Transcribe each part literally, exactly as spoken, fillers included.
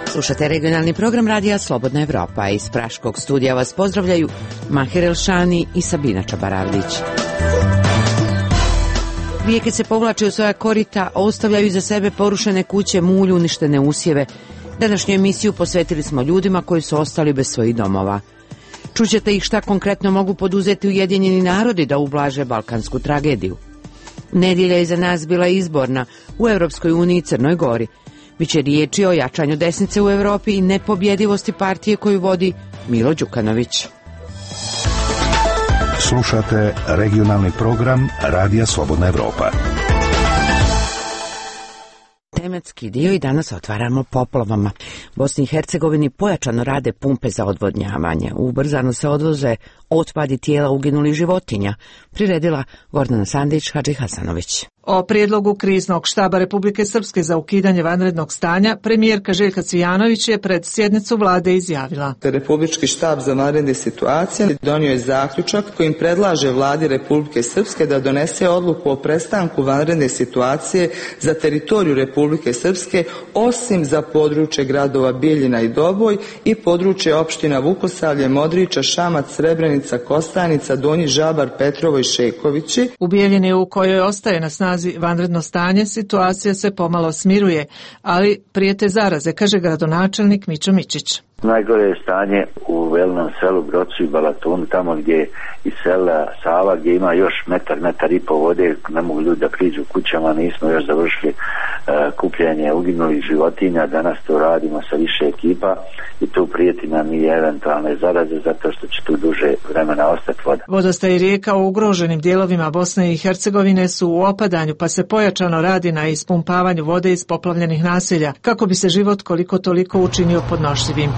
Slušate regionalni program radija Slobodna Evropa. Iz Praškog studija vas pozdravljaju Mahir Elšani i Sabina Čabaravlić. Rijeke se povlače u svoja korita, ostavljaju iza sebe porušene kuće, mulju, uništene usjeve. Današnju emisiju posvetili smo ljudima koji su ostali bez svojih domova. Čućete ih šta konkretno mogu poduzeti Ujedinjeni narodi da ublaže balkansku tragediju. Nedjelja je za nas bila izborna u Europskoj uniji i Crnoj Gori. Biće riječi o jačanju desnice u Europi i nepobjedivosti partije koju vodi Milo Đukanović. Slušate regionalni program Radija Slobodna Evropa. Tematski dio i danas otvaramo poplavama. Bosni i Hercegovini pojačano rade pumpe za odvodnjavanje. Ubrzano se odvoze otpadi tijela uginulih životinja, priredila Gordana Sandić-Hadži Hasanović. O prijedlogu kriznog štaba Republike Srpske za ukidanje vanrednog stanja premijerka Željka Cvijanović je pred sjednicu vlade izjavila. Republički štab za vanredne situacije donio je zaključak kojim predlaže vladi Republike Srpske da donese odluku o prestanku vanredne situacije za teritoriju Republike Srpske, osim za područje gradova Bijeljina i Doboj i područje opština Vukosavlje, Modriča, Šamac, Srebrenica, Kostajnica, Donji Žabar, Petrovo i Šekovići. U Bijeljini, u kojoj ostaje na snazi vanredno stanje, situacija se pomalo smiruje, ali prijete zaraze, kaže gradonačelnik Mićo Mičić. Najgore je stanje u Velinom selu, Brocu i Balatonu, tamo gdje iz sela Sava, gdje ima još metar, metar i po vode, ne mogu ljudi da priđu kućama, nismo još završili uh, kupljenje uginulih životinja, danas to radimo sa više ekipa i tu prijeti nam i eventualne zaraze zato što će tu duže vremena ostati voda. Vodostaj rijeka u ugroženim dijelovima Bosne i Hercegovine su u opadanju, pa se pojačano radi na ispumpavanju vode iz poplavljenih naselja, kako bi se život koliko toliko učinio podnošljivim.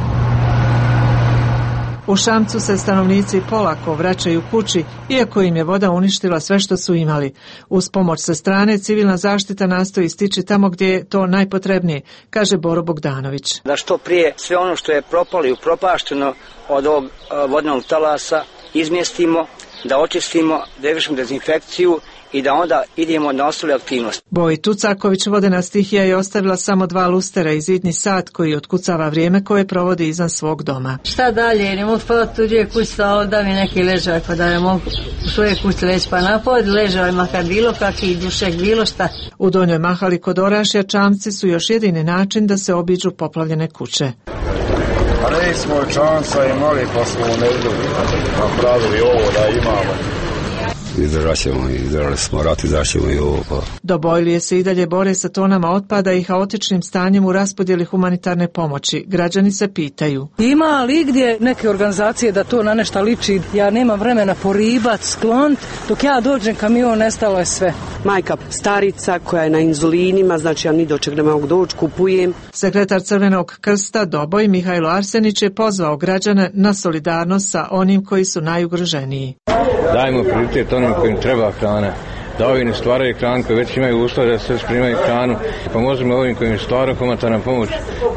U Šamcu se stanovnici polako vraćaju kući, iako im je voda uništila sve što su imali. Uz pomoć sa strane, civilna zaštita nastoji stići tamo gdje je to najpotrebnije, kaže Boro Bogdanović. Da što prije sve ono što je propalo i upropašteno od ovog vodnog talasa izmjestimo, da očistimo, da izvršimo dezinfekciju i da onda idemo na ostale aktivnosti. Boj Tucaković, vodena stihija, je ostavila samo dva lustera i zidni sat koji otkucava vrijeme koje provodi izvan svog doma. Šta dalje, ne mogu spavati tuđe kući, da mi neki ležaj, pa da ne mogu u svoje kući leći, pa napod ležaj, makar bilo kakvi dušek, bilo šta. U Donjoj Mahali kod Orašja čamci su još jedini način da se obiđu poplavljene kuće. Ali smo čamca imali, pa smo napravili ovo da imamo. Izdržat ćemo, izdržali smo rat, izdržat ćemo i ovo. Pa. Dobojlije se i dalje bore sa tonama otpada i haotičnim stanjem u raspodjeli humanitarne pomoći. Građani se pitaju. Ima li gdje neke organizacije da to na nešto liči? Ja nemam vremena poribat, sklont, dok ja dođem kamion, nestalo je sve. Majka starica koja je na inzulinima, znači ja ni do čeg ne mogu doći, kupujem. Sekretar Crvenog krsta Doboj Mihajlo Arsenić je pozvao građane na solidarnost sa onim koji su najugroženiji. Dajmo prioritet onim kojim treba hrana, da ovi ne stvaraju hranu, koji već imaju uslove da se primaju hranu, pomozimo ovim kojim stvaraju humanitarna pomoć,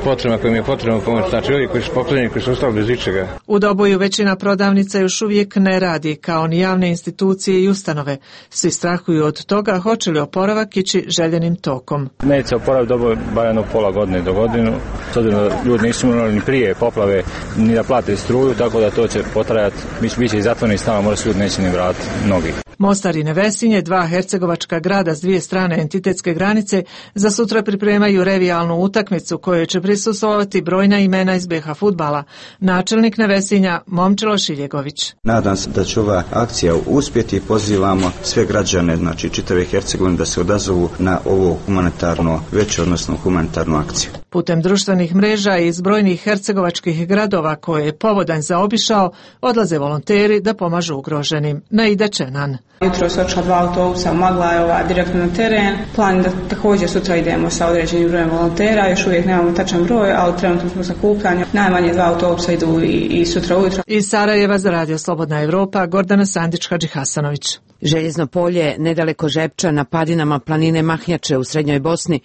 potrebna kojim je potrebna pomoć, znači ovi koji su poklanjeni, koji su ostali bez ičega. U Doboju većina prodavnica još uvijek ne radi, kao ni javne institucije i ustanove. Svi strahuju od toga hoće li oporavak ići željenim tokom. Neće oporaviti Doboj barem pola godine do godinu, s obzirom da ljudi nisu imali ni prije poplave, ni da plate struju, tako da to će potrajati, bit će i zatvoreni stan, možda se ljudi neće ni vratiti mnogi. Mostar i Nevesinje, dva hercegovačka grada s dvije strane entitetske granice, za sutra pripremaju revijalnu utakmicu kojoj će prisustvovati brojna imena iz be ha fudbala. Načelnik Nevesinja Momčilo Šiljegović. Nadam se da će ova akcija uspjeti i pozivamo sve građane, znači čitave Hercegovine, da se odazovu na ovo humanitarno veće, odnosno humanitarnu akciju. Putem društvenih mreža iz brojnih hercegovačkih gradova koje je povodanj zaobišao, odlaze volonteri da pomažu ugroženim. Naida Čenan. Jutro se odšla dva autobusa, magla je ova direktno na teren. Plan da također sutra idemo sa određenim brojem volontera, još uvijek nemamo tačan broj, ali trenutno smo sakupljani. Najmanje dva autobusa idu i, i sutra ujutro. Iz Sarajeva za Radio Slobodna Evropa, Gordana Sandić-Hadži Hasanović. Željezno polje, nedaleko Žepča, na padinama planine Mahnjače u srednjoj Bosni,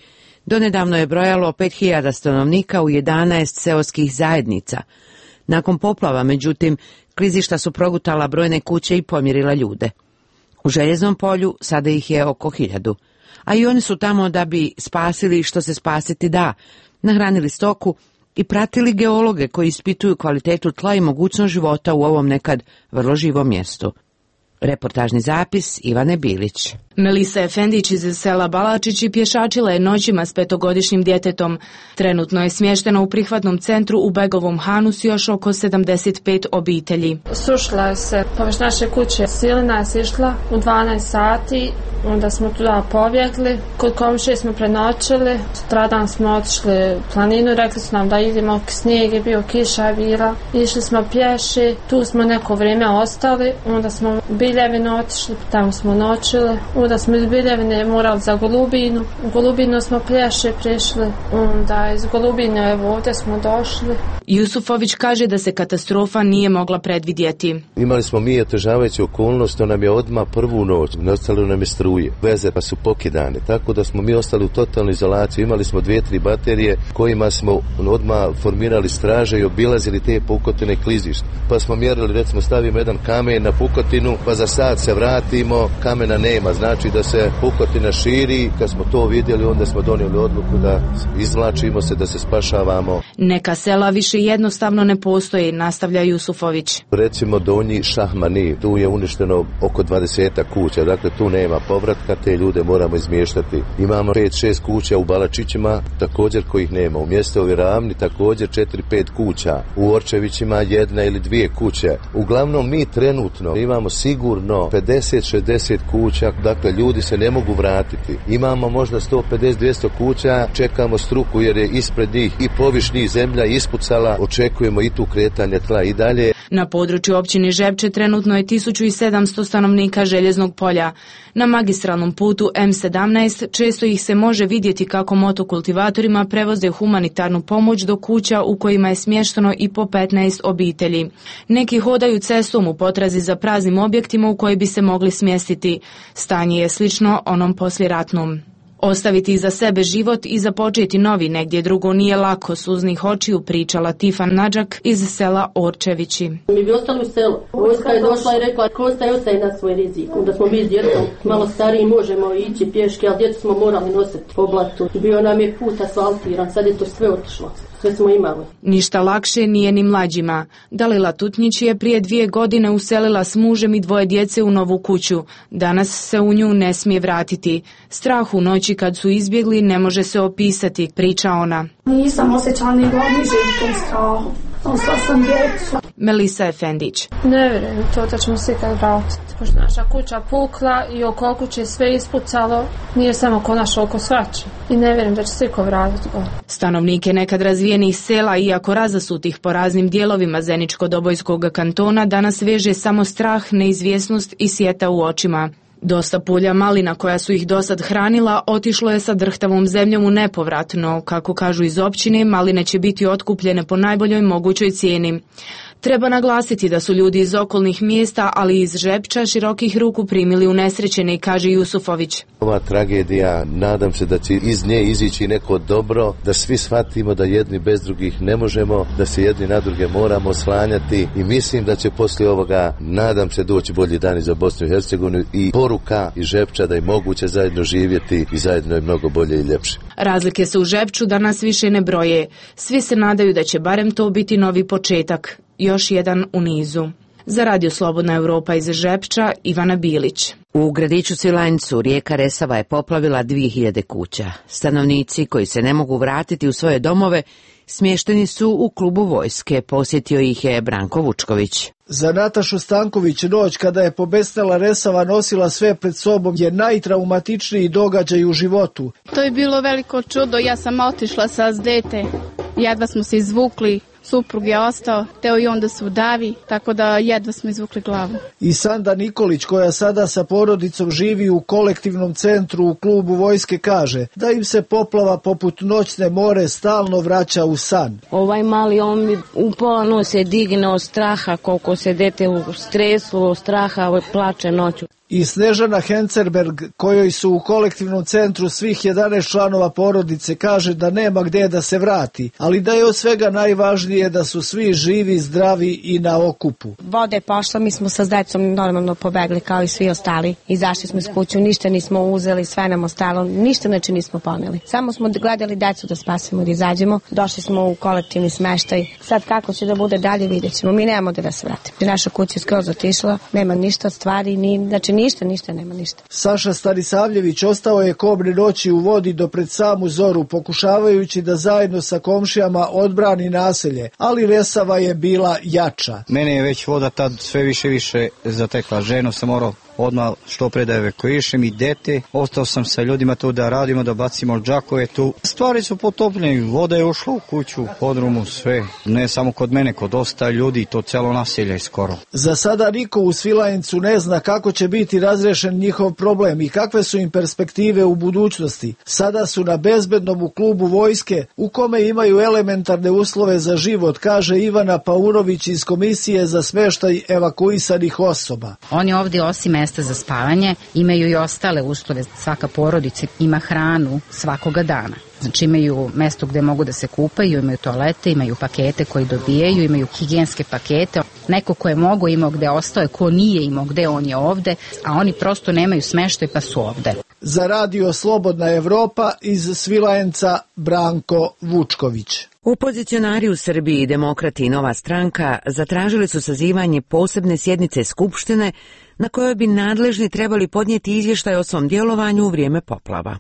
donedavno je brojalo pet hiljada stanovnika u jedanaest seoskih zajednica. Nakon poplava, međutim, klizišta su progutala brojne kuće i pomirila ljude. U Željeznom polju sada ih je oko hiljadu, a i oni su tamo da bi spasili što se spasiti da, nahranili stoku i pratili geologe koji ispituju kvalitetu tla i mogućnost života u ovom nekad vrlo živom mjestu. Reportažni zapis Ivane Bilić. Melisa Efendić iz sela Balačići pješačila je noćima s petogodišnjim djetetom. Trenutno je smještena u prihvatnom centru u Begovom Hanu s još oko sedamdeset pet obitelji. Sušila je se površ naše kuće. Silina je sišla u dvanaest sati, onda smo tuda pobjegli. Kod komšije smo prenoćili, sutradan smo otišli u planinu, rekli su nam da idemo, snijeg je bio, kiša je bila. Išli smo pješi, tu smo neko vrijeme ostali, onda smo u Biljevinu otišli, tamo smo noćili. Onda smo iz Biljevine morali za Golubinu. U Golubinu smo pješe prišli. Onda iz Golubine evo ovdje smo došli. Jusufović kaže da se katastrofa nije mogla predvidjeti. Imali smo mi otežavajuću okolnost, to nam je odmah prvu noć, ostalo nam je struje. Veze pa su pokidane, tako da smo mi ostali u totalnoj izolaciji. Imali smo dvije, tri baterije kojima smo odmah formirali straže i obilazili te pukotine klizišta. Pa smo mjerili, recimo stavimo jedan kamen na pukotinu, pa za sat se vratimo, kamena nema. Znači da se pukotina širi, kad smo to vidjeli onda smo donijeli odluku da izvlačimo se, da se spašavamo. Neka sela više jednostavno ne postoji, nastavlja Jusufović. Recimo Donji Šahmani, tu je uništeno oko dvadeset kuća, dakle tu nema povratka, te ljude moramo izmještati. Imamo pet šest kuća u Balačićima, također kojih nema. U mjestovi Ravni također četiri pet kuća. U Orčevićima jedna ili dvije kuće. Uglavnom mi trenutno imamo sigurno pedeset šezdeset kuća. Dakle, ljudi se ne mogu vratiti. Imamo možda sto pedeset dvjesto kuća, čekamo struku jer je ispred njih i poviš njih zemlja ispucala, očekujemo i tu kretanje tla i dalje. Na području općine Žepče trenutno je tisuću sedamsto stanovnika Željeznog polja. Na magistralnom putu M sedamnaest često ih se može vidjeti kako motokultivatorima prevoze humanitarnu pomoć do kuća u kojima je smješteno i po petnaest obitelji. Neki hodaju cestom u potrazi za praznim objektima u koji bi se mogli smjestiti. Stanje je slično onom poslijeratnom. Ostaviti iza sebe život i započeti novi negdje drugo nije lako, suznih očiju pričala Tifan Nadžak iz sela Orčevići. Mi bi ostali u selu. Vojska je došla i rekla ko ostaje, ostaje na svoj rizik. Onda smo mi s djetom malo stariji, možemo ići pješke, ali djecu smo morali nositi po blatu. Bio nam je put asfaltiran, sad je to sve otišlo. Sve smo imali. Ništa lakše nije ni mlađima. Dalila Tutnjić je prije dvije godine uselila s mužem i dvoje djece u novu kuću. Danas se u nju ne smije vratiti. Strah u noći kad su izbjegli ne može se opisati, priča ona. Nisam osjećala ni godni živ tom strahu. Ostala sam djecu. Melisa Efendić. Ne vjerujem to da ćemo se ikad vratiti. Pošto naša kuća pukla i oko kuće sve ispucalo, nije samo oko naša, oko svače. I ne vjerujem da će se iko vratiti gore. Stanovnike nekad razvijenih sela, iako razasutih po raznim dijelovima Zeničko-Dobojskog kantona, danas veže samo strah, neizvjesnost i sjeta u očima. Dosta pulja malina koja su ih dosad hranila otišlo je sa drhtavom zemljom u nepovrat, no, kako kažu iz općine, maline će biti otkupljene po najboljoj mogućoj cijeni. Treba naglasiti da su ljudi iz okolnih mjesta, ali i iz Žepča, širokih ruku primili unesrećene, kaže Jusufović. Ova tragedija, nadam se da će iz nje izići neko dobro, da svi shvatimo da jedni bez drugih ne možemo, da se jedni na druge moramo oslanjati i mislim da će poslije ovoga, nadam se, doći bolji dani za Bosnu i Hercegovinu i poruka iz Žepča da je moguće zajedno živjeti i zajedno je mnogo bolje i ljepše. Razlike se u Žepču danas više ne broje. Svi se nadaju da će barem to biti novi početak. Još jedan u nizu. Za Radio Slobodna Europa iz Žepča, Ivana Bilić. U gradiću Svilajncu rijeka Resava je poplavila dvije hiljade kuća. Stanovnici koji se ne mogu vratiti u svoje domove smješteni su u klubu vojske, posjetio ih je Branko Vučković. Za Natašu Stanković noć kada je pobesnela Resava nosila sve pred sobom je najtraumatičniji događaj u životu. To je bilo veliko čudo, ja sam otišla sa dete, jedva smo se izvukli. Suprug je ostao, teo i onda se udavi, tako da jedva smo izvukli glavu. I Sanda Nikolić, koja sada sa porodicom živi u kolektivnom centru u klubu vojske, kaže da im se poplava poput noćne more stalno vraća u san. Ovaj mali, on mi u pola noć se digne od straha, koliko se dete u stresu, od straha, plače noću. I Snežana Hencerberg, kojoj su u kolektivnom centru svih jedanaest članova porodice, kaže da nema gdje da se vrati, ali da je od svega najvažnije najvažnije da su svi živi, zdravi i na okupu. Voda je pošla, mi smo sa decom normalno pobegli kao i svi ostali. Izašli smo iz kuću, ništa nismo uzeli, sve nam ostalo, ništa znači nismo poneli. Samo smo gledali decu da spasimo, da izađemo. Došli smo u kolektivni smeštaj. Sad kako će da bude dalje, vidjet ćemo. Mi nemamo da se vratimo. Naša kuća je skroz otišla, nema ništa od stvari, ni, znači ništa, ništa, nema ništa. Saša Stanisavljević ostao je kobne noći u vodi do pred samu zoru, pokušavajući da zajedno sa komšijama odbrani naselje, ali Resava je bila jača. Mene je već voda tad sve više više zatekla. Ženu sam morao odmah što pre da evakuišem i dete. Ostao sam sa ljudima tu da radimo, da bacimo džakove tu. Stvari su potopljene, voda je ušla u kuću, u podrumu, sve. Ne samo kod mene, kod dosta ljudi, to celo naselje skoro. Za sada niko u Svilajncu ne zna kako će biti razrešen njihov problem i kakve su im perspektive u budućnosti. Sada su na bezbednom u klubu vojske, u kome imaju elementarne uslove za život, kaže Ivana Paunović iz Komisije za smeštaj evakuisanih osoba. Oni ovdje osim mesta za spavanje imaju i ostale uslove. Svaka porodica ima hranu svakoga dana. Znači imaju mesto gde mogu da se kupaju, imaju toalete, imaju pakete koji dobijaju, imaju higijenske pakete. Neko ko je mogo imao gde ostao, ko nije imao gde, on je ovde, a oni prosto nemaju smeštaj pa su ovde. Za radio Slobodna Evropa iz Svilajnca Branko Vučković. Opozicionari u Srbiji i Demokrati i Nova stranka zatražili su sazivanje posebne sjednice Skupštine na kojoj bi nadležni trebali podnijeti izvještaj o svom djelovanju u vrijeme poplava.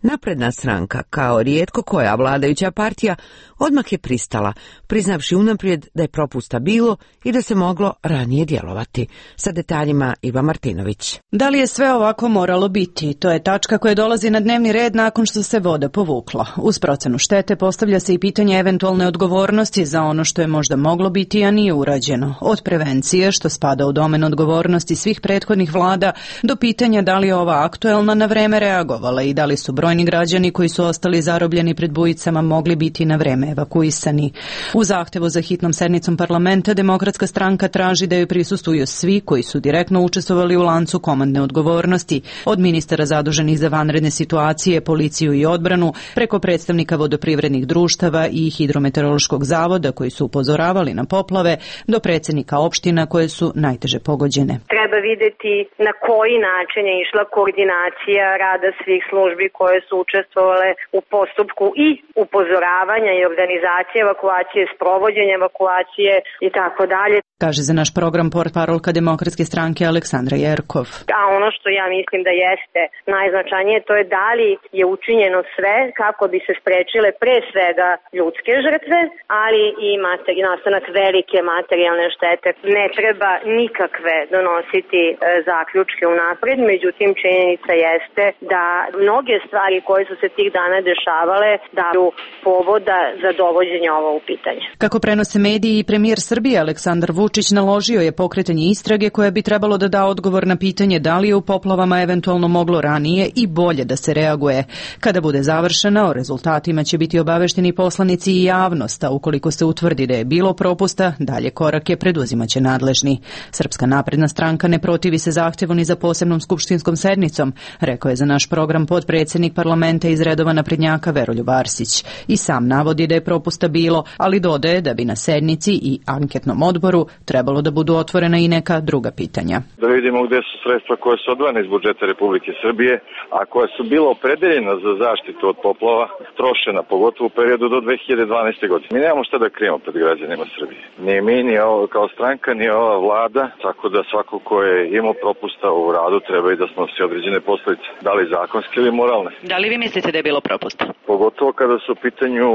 Napredna stranka, kao rijetko koja vladajuća partija, odmah je pristala, priznavši unaprijed da je propusta bilo i da se moglo ranije djelovati. Sa detaljima Iva Martinović. Da li je sve ovako moralo biti? To je tačka koja dolazi na dnevni red nakon što se voda povukla. Uz procenu štete postavlja se i pitanje eventualne odgovornosti za ono što je možda moglo biti, a nije urađeno. Od prevencije, što spada u domen odgovornosti svih prethodnih vlada, do pitanja da li je ova aktuelna na vreme reagovala i da li su brojni građani koji su ostali zarobljeni pred bujicama mogli biti na vreme evakuisani. U zahtevu za hitnom sednicom parlamenta Demokratska stranka traži da joj prisustvuju svi koji su direktno učestvovali u lancu komandne odgovornosti, od ministara zaduženih za vanredne situacije, policiju i odbranu, preko predstavnika vodoprivrednih društava i hidrometeorološkog zavoda koji su upozoravali na poplave, do predsjednika opština koje su najteže pogođene. Treba vidjeti na koji način je išla koordinacija rada svih službi koje su učestvovale u postupku i upozoravanja i organizacije evakuacije, sprovođenja evakuacije i tako dalje. Kaže za naš program portparolka Demokratske stranke Aleksandra Jerkov. A ono što ja mislim da jeste najznačajnije, to je da li je učinjeno sve kako bi se sprečile pre svega ljudske žrtve, ali i materi, nastanak velike materijalne štete. Ne treba nikakve donositi e, zaključke unapred, međutim činjenica jeste da mnoge stvari koje su se tih dana dešavale daju povoda za dovođenje ovo u pitanje. Kako prenose mediji, i premijer Srbije Aleksandar Vučić naložio je pokretanje istrage koje bi trebalo da da odgovor na pitanje da li je u poplavama eventualno moglo ranije i bolje da se reaguje. Kada bude završena, o rezultatima će biti obavešteni poslanici i javnost, a ukoliko se utvrdi da je bilo propusta, dalje korake preduzimaće nadležni. Srpska napredna stranka ne protivi se zahtjevu ni za posebnom skupštinskom sednicom, rekao je za naš program potpredsjednik parlamenta iz redova naprednjaka Veroljub Arsić. I sam navodi da je propusta bilo, ali dodaje da bi na sednici i anketnom odboru trebalo da budu otvorena i neka druga pitanja. Da vidimo gdje su sredstva koje su odvojene iz budžeta Republike Srbije, a koja su bila opredeljena za zaštitu od poplava, trošena pogotovo u periodu do dve hiljade dvanaeste. godine. Mi nemamo šta da krijemo pred građanima Srbije. Ni mi, ni ovo, kao stranka, ni ova vlada, tako da svako ko je imao propusta u radu treba i da snosi određene posljedice, da li zakonske ili moralne. Da li vi mislite da je bilo propusta? Pogotovo kada su u pitanju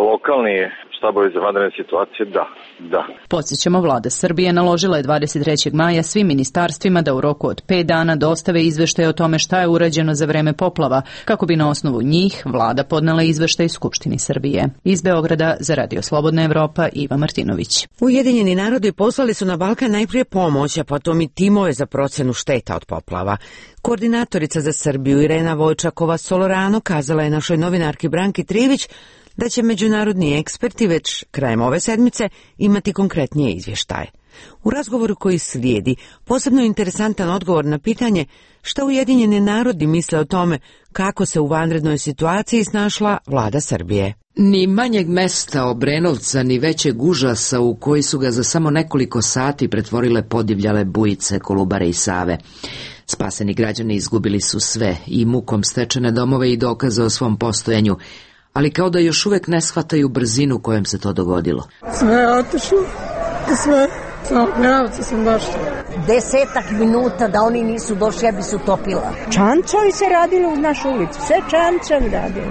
lokalni štabovi za vanredne situacije, da, da. Podsjećamo, vlada Srbije naložila je dvadeset trećeg maja svim ministarstvima da u roku od pet dana dostave izveštaje o tome šta je urađeno za vreme poplava, kako bi na osnovu njih vlada podnela izveštaj Skupštini Srbije. Iz Beograda za Radio Slobodna Evropa, Iva Martinović. Ujedinjeni narodi poslali su na Balkan najprije pomoć, a potom i timove za procenu šteta od poplava. Koordinatorica za Srbiju Irena Vojčakova-Solorano kazala je našoj novinarki Branki Trivić da će međunarodni eksperti već krajem ove sedmice imati konkretnije izvještaje. U razgovoru koji slijedi, posebno interesantan odgovor na pitanje šta Ujedinjeni narodi misle o tome kako se u vanrednoj situaciji snašla vlada Srbije. Ni manjeg mesta Obrenovca, ni većeg užasa u koji su ga za samo nekoliko sati pretvorile podivljale bujice Kolubare i Save. Spaseni građani izgubili su sve, i mukom stečene domove i dokaze o svom postojanju, ali kao da još uvek ne shvataju brzinu kojom se to dogodilo. Sve je otišlo, sve, na Obrenovcu sam baš. Desetak minuta da oni nisu došli, ja bi se utopila. Čančovi se radili u našu ulicu, sve čančovi radili.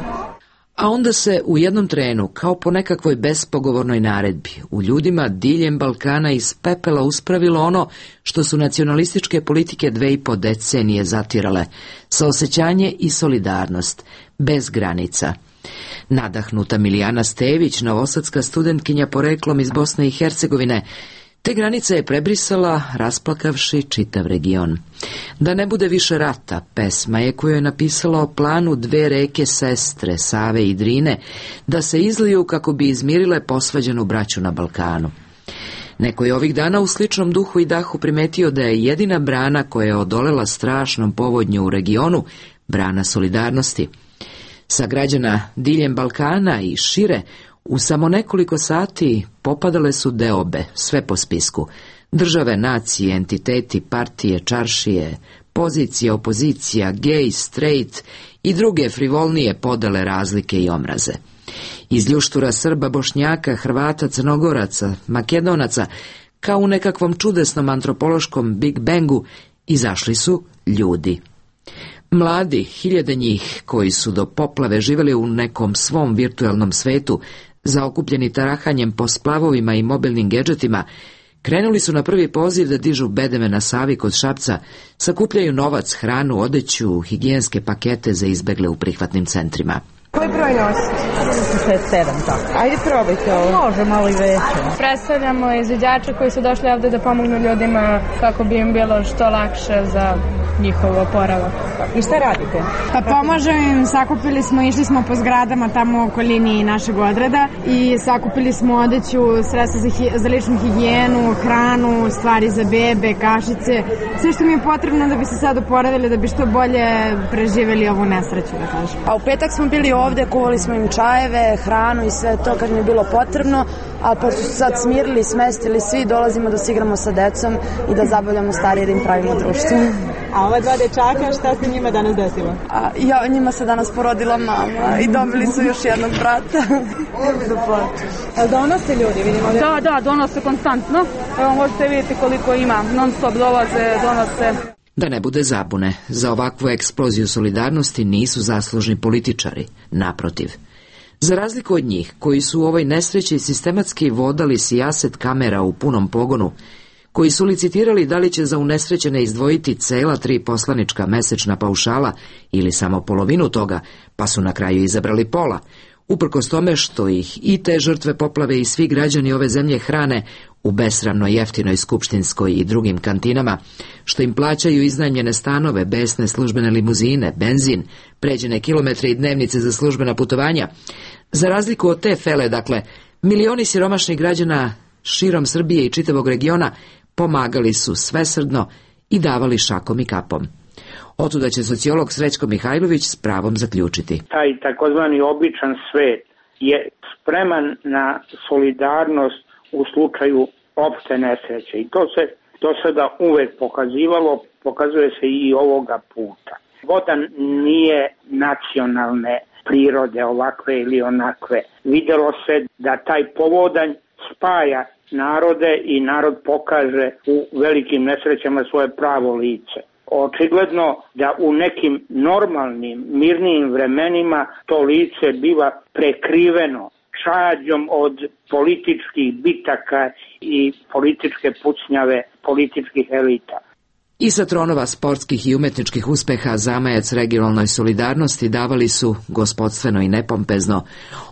A onda se u jednom trenu, kao po nekakvoj bespogovornoj naredbi, u ljudima diljem Balkana iz pepela uspravilo ono što su nacionalističke politike dve i po decenije zatirale, saosećanje i solidarnost, bez granica. Nadahnuta Milijana Stević, novosadska studentkinja poreklom iz Bosne i Hercegovine, te granice je prebrisala, rasplakavši čitav region. Da ne bude više rata, pesma je koju je napisala o planu dve reke sestre, Save i Drine, da se izliju kako bi izmirile posvađanu braću na Balkanu. Neko je ovih dana u sličnom duhu i dahu primetio da je jedina brana koja je odolela strašnom povodnju u regionu brana solidarnosti. Sa građana diljem Balkana i šire, u samo nekoliko sati popadale su deobe, sve po spisku. Države, nacije, entiteti, partije, čaršije, pozicija, opozicija, gej, straight i druge frivolnije podele, razlike i omraze. Iz ljuštura Srba, Bošnjaka, Hrvata, Crnogoraca, Makedonaca, kao u nekakvom čudesnom antropološkom Big Bangu, izašli su ljudi. Mladi, hiljade njih, koji su do poplave živjeli u nekom svom virtualnom svetu, zaokupljeni tarahanjem po splavovima i mobilnim gedžetima, krenuli su na prvi poziv da dižu bedeme na Savi kod Šapca, sakupljaju novac, hranu, odeću, higijenske pakete za izbegle u prihvatnim centrima. Koji broj nosite? šezdeset sedam, tako. Ajde probajte ovo. Može malo i veće. Predstavljamo izviđače koji su došli ovde da pomognu ljudima kako bi im bilo što lakše za njihov oporavak. I šta radite? Pa pomažemo im, sakupili smo, išli smo po zgradama tamo u okolini našeg odreda i sakupili smo odeću, sredstva za, hi, za ličnu higijenu, hranu, stvari za bebe, kašice, sve što mi je potrebno da bi se sad oporavili, da bi što bolje preživeli ovu nesreću, da kažem. A u petak smo bili ovde, kuvali smo im čajeve, hranu i sve to kad mi je bilo potrebno, a pa su sad smirili, smestili svi, dolazimo da se igramo sa decom i da zabavljamo starije, da im pravimo društvo. A ova dva dečaka, šta se njima danas desilo? A, ja, njima se danas porodila mama i dobili su još jednog brata. A donose ljudi, vidimo? Da, da, donose konstantno. Evo možete vidjeti koliko ima, non stop dolaze, donose. Da ne bude zabune, za ovakvu eksploziju solidarnosti nisu zaslužni političari, naprotiv. Za razliku od njih, koji su u ovoj nesreći sistematski vodali sijaset kamera u punom pogonu, koji su licitirali da li će za unesrećene izdvojiti cela tri poslanička mesečna paušala ili samo polovinu toga, pa su na kraju izabrali pola, uprkos tome što ih i te žrtve poplave i svi građani ove zemlje hrane u besramno jeftinoj skupštinskoj i drugim kantinama, što im plaćaju iznajmljene stanove, besne službene limuzine, benzin, pređene kilometre i dnevnice za službena putovanja. Za razliku od te fele, dakle, milioni siromašnih građana širom Srbije i čitavog regiona pomagali su svesrdno i davali šakom i kapom. Otuda će sociolog Srećko Mihajlović s pravom zaključiti. Taj takozvani običan svet je spreman na solidarnost u slučaju opšte nesreće i to se do sada uvek pokazivalo, pokazuje se i ovoga puta. Voda nije nacionalne prirode ovakve ili onakve. Videlo se da taj povodanj spaja narode i narod pokaže u velikim nesrećama svoje pravo lice. Očigledno da u nekim normalnim, mirnijim vremenima to lice biva prekriveno čađom od političkih bitaka i političke pucnjave političkih elita. I sa tronova sportskih i umetničkih uspeha zamajac regionalnoj solidarnosti davali su, gospodstveno i nepompezno,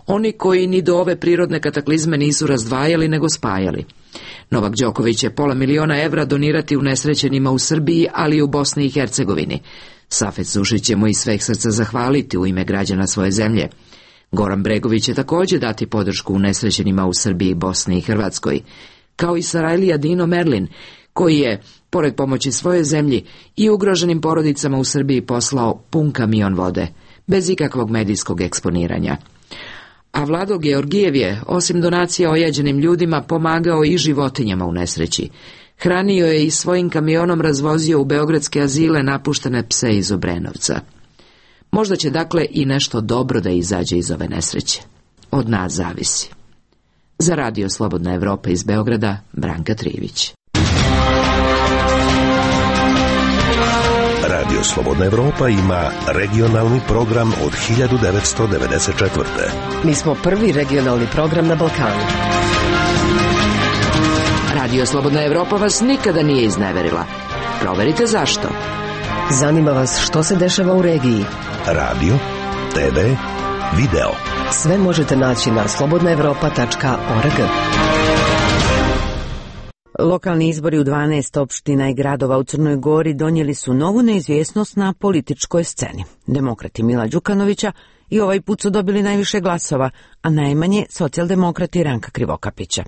oni koji ni do ove prirodne kataklizme nisu razdvajali nego spajali. Novak Đoković će pola miliona evra donirati unesrećenima u Srbiji, ali i u Bosni i Hercegovini. Safet Sušić će mu iz sveg srca zahvaliti u ime građana svoje zemlje. Goran Bregović će također dati podršku unesrećenima u Srbiji, Bosni i Hrvatskoj. kao i Sarajlija Dino Merlin, koji je, pored pomoći svoje zemlji, i ugroženim porodicama u Srbiji poslao pun kamion vode, bez ikakvog medijskog eksponiranja. A Vlado Georgijev je, osim donacija ojađenim ljudima, pomagao i životinjama u nesreći. Hranio je i svojim kamionom razvozio u beogradske azile napuštene pse iz Obrenovca. Možda će dakle i nešto dobro da izađe iz ove nesreće. Od nas zavisi. Za Radio Slobodna Evropa iz Beograda, Branka Trivić. Radio Slobodna Evropa ima regionalni program od hiljadu devetsto devedeset četvrte. Mi smo prvi regionalni program na Balkanu. Radio Slobodna Evropa vas nikada nije izneverila. Proverite zašto. Zanima vas što se dešava u regiji. Radio, te ve, video. Sve možete naći na slobodna evropa tačka org. Lokalni izbori u dvanaest opština i gradova u Crnoj Gori donijeli su novu neizvjesnost na političkoj sceni. Demokrati Mila Đukanovića i ovaj put su dobili najviše glasova, a najmanje socijaldemokrati Ranka Krivokapića.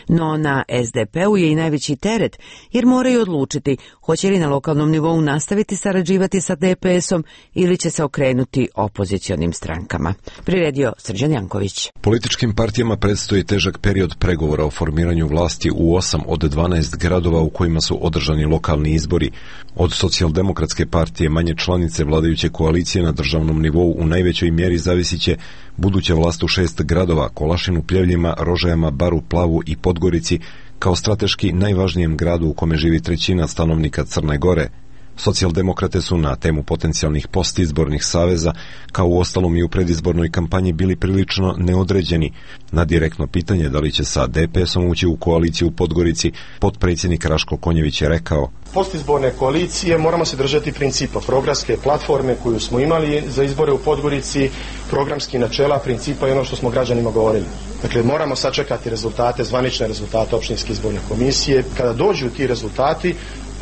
No na es de pe u je i najveći teret, jer moraju odlučiti hoće li na lokalnom nivou nastaviti sarađivati sa de pe esom ili će se okrenuti opozicionim strankama. Priredio Srđan Janković. Političkim partijama predstoji težak period pregovora o formiranju vlasti u osam od dvanaest gradova u kojima su održani lokalni izbori. Od socijaldemokratske partije manje članice vladajuće koalicije na državnom nivou u najvećoj mjeri zavisit će buduća vlast u šest gradova, Kolašinu, Pljevljima, Rožajama, Baru, Plavu i Podgorici, kao strateški najvažnijem gradu u kome živi trećina stanovnika Crne Gore. Socijaldemokrate su na temu potencijalnih postizbornih saveza, kao u ostalom i u predizbornoj kampanji, bili prilično neodređeni. Na direktno pitanje da li će sa de pe esom ući u koaliciju u Podgorici, potpredsjednik Raško Konjević je rekao: postizborne koalicije moramo se držati principa programske platforme koju smo imali za izbore u Podgorici, programski načela, principa i ono što smo građanima govorili. Dakle, moramo sačekati rezultate, zvanične rezultate opštinske izborne komisije. Kada dođu ti rezultati,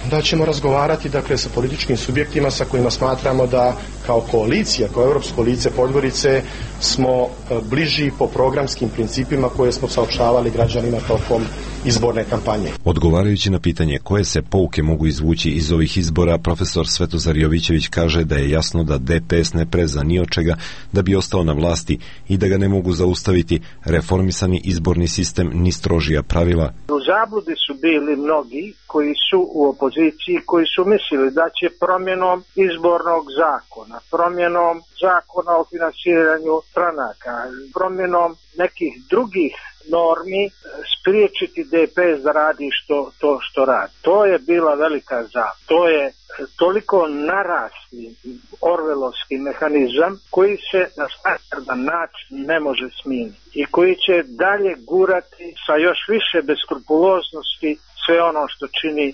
onda ćemo razgovarati, dakle, sa političkim subjektima sa kojima smatramo da kao koalicija, kao Europsko lice Podgorice smo bliži po programskim principima koje smo saopštavali građanima tokom izborne kampanje. Odgovarajući na pitanje koje se pouke mogu izvući iz ovih izbora, profesor Svetozar Jovićević kaže da je jasno da de pe es ne preza ni od čega da bi ostao na vlasti i da ga ne mogu zaustaviti reformisani izborni sistem ni strožija pravila. U zabludi su bili mnogi koji su u opoziciji, koji su mislili da će promjenom izbornog zakona, promjenom zakona o finansiranju stranaka, promjenom nekih drugih normi spriječiti de pe es da radi što, to što radi. To je bila velika zabluda. To je toliko narasli orvelovski mehanizam koji se na standardan način ne može smijeniti i koji će dalje gurati sa još više beskrupuloznosti sve ono što čini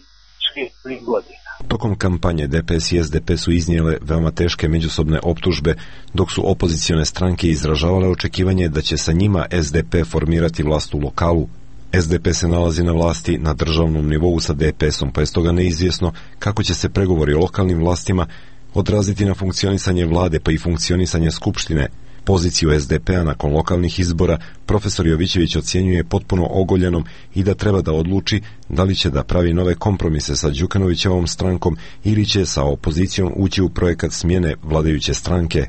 svih godina. Tokom kampanje de pe es i es de pe su iznijele veoma teške međusobne optužbe, dok su opozicione stranke izražavale očekivanje da će sa njima es de pe formirati vlast u lokalu. es de pe se nalazi na vlasti na državnom nivou sa de pe esom, pa je stoga neizvjesno kako će se pregovori o lokalnim vlastima odraziti na funkcionisanje vlade pa i funkcionisanje skupštine. Poziciju es de pe a nakon lokalnih izbora profesor Jovićević ocjenjuje potpuno ogoljenom i da treba da odluči da li će da pravi nove kompromise sa Đukanovićevom strankom ili će sa opozicijom ući u projekat smjene vladajuće stranke.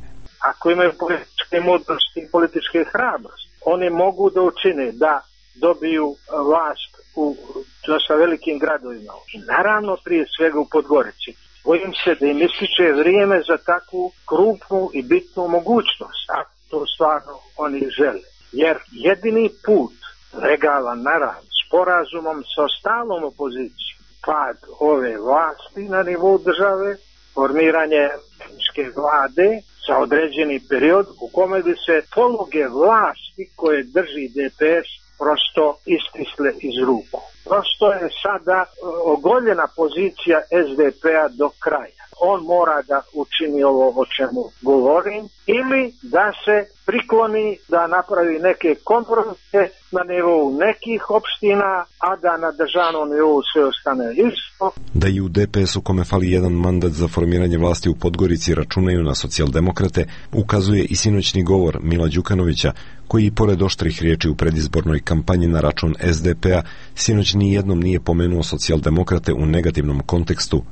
Ako imaju političke mudrosti i političke hrabrosti, oni mogu da učine da dobiju vlast u dosta velikim gradovima. Naravno, prije svega u Podgorici. Bojim se da im ističe vrijeme za takvu krupnu i bitnu mogućnost, a to stvarno oni žele. Jer jedini put legalan, naravno, sporazumom sa ostalom opozicijom, pad ove vlasti na nivou države, formiranje tehničke vlade za određeni period u kome bi se poluge vlasti koje drži de pe es prosto istisle iz ruku. Prosto je sada ogoljena pozicija es de pe a do kraja. on mora da učini ovo o čemu govorim, ili da se prikloni da napravi neke kompromise na nivou nekih opština, a da na državnom nivou sve ostane isto. Da i u D P S-u kome fali jedan mandat za formiranje vlasti u Podgorici računaju na socijaldemokrate, ukazuje i sinoćni govor Mila Đukanovića, koji i pored oštrih riječi u predizbornoj kampanji na račun S D P-a, sinoć ni jednom nije pomenuo socijaldemokrate u negativnom kontekstu.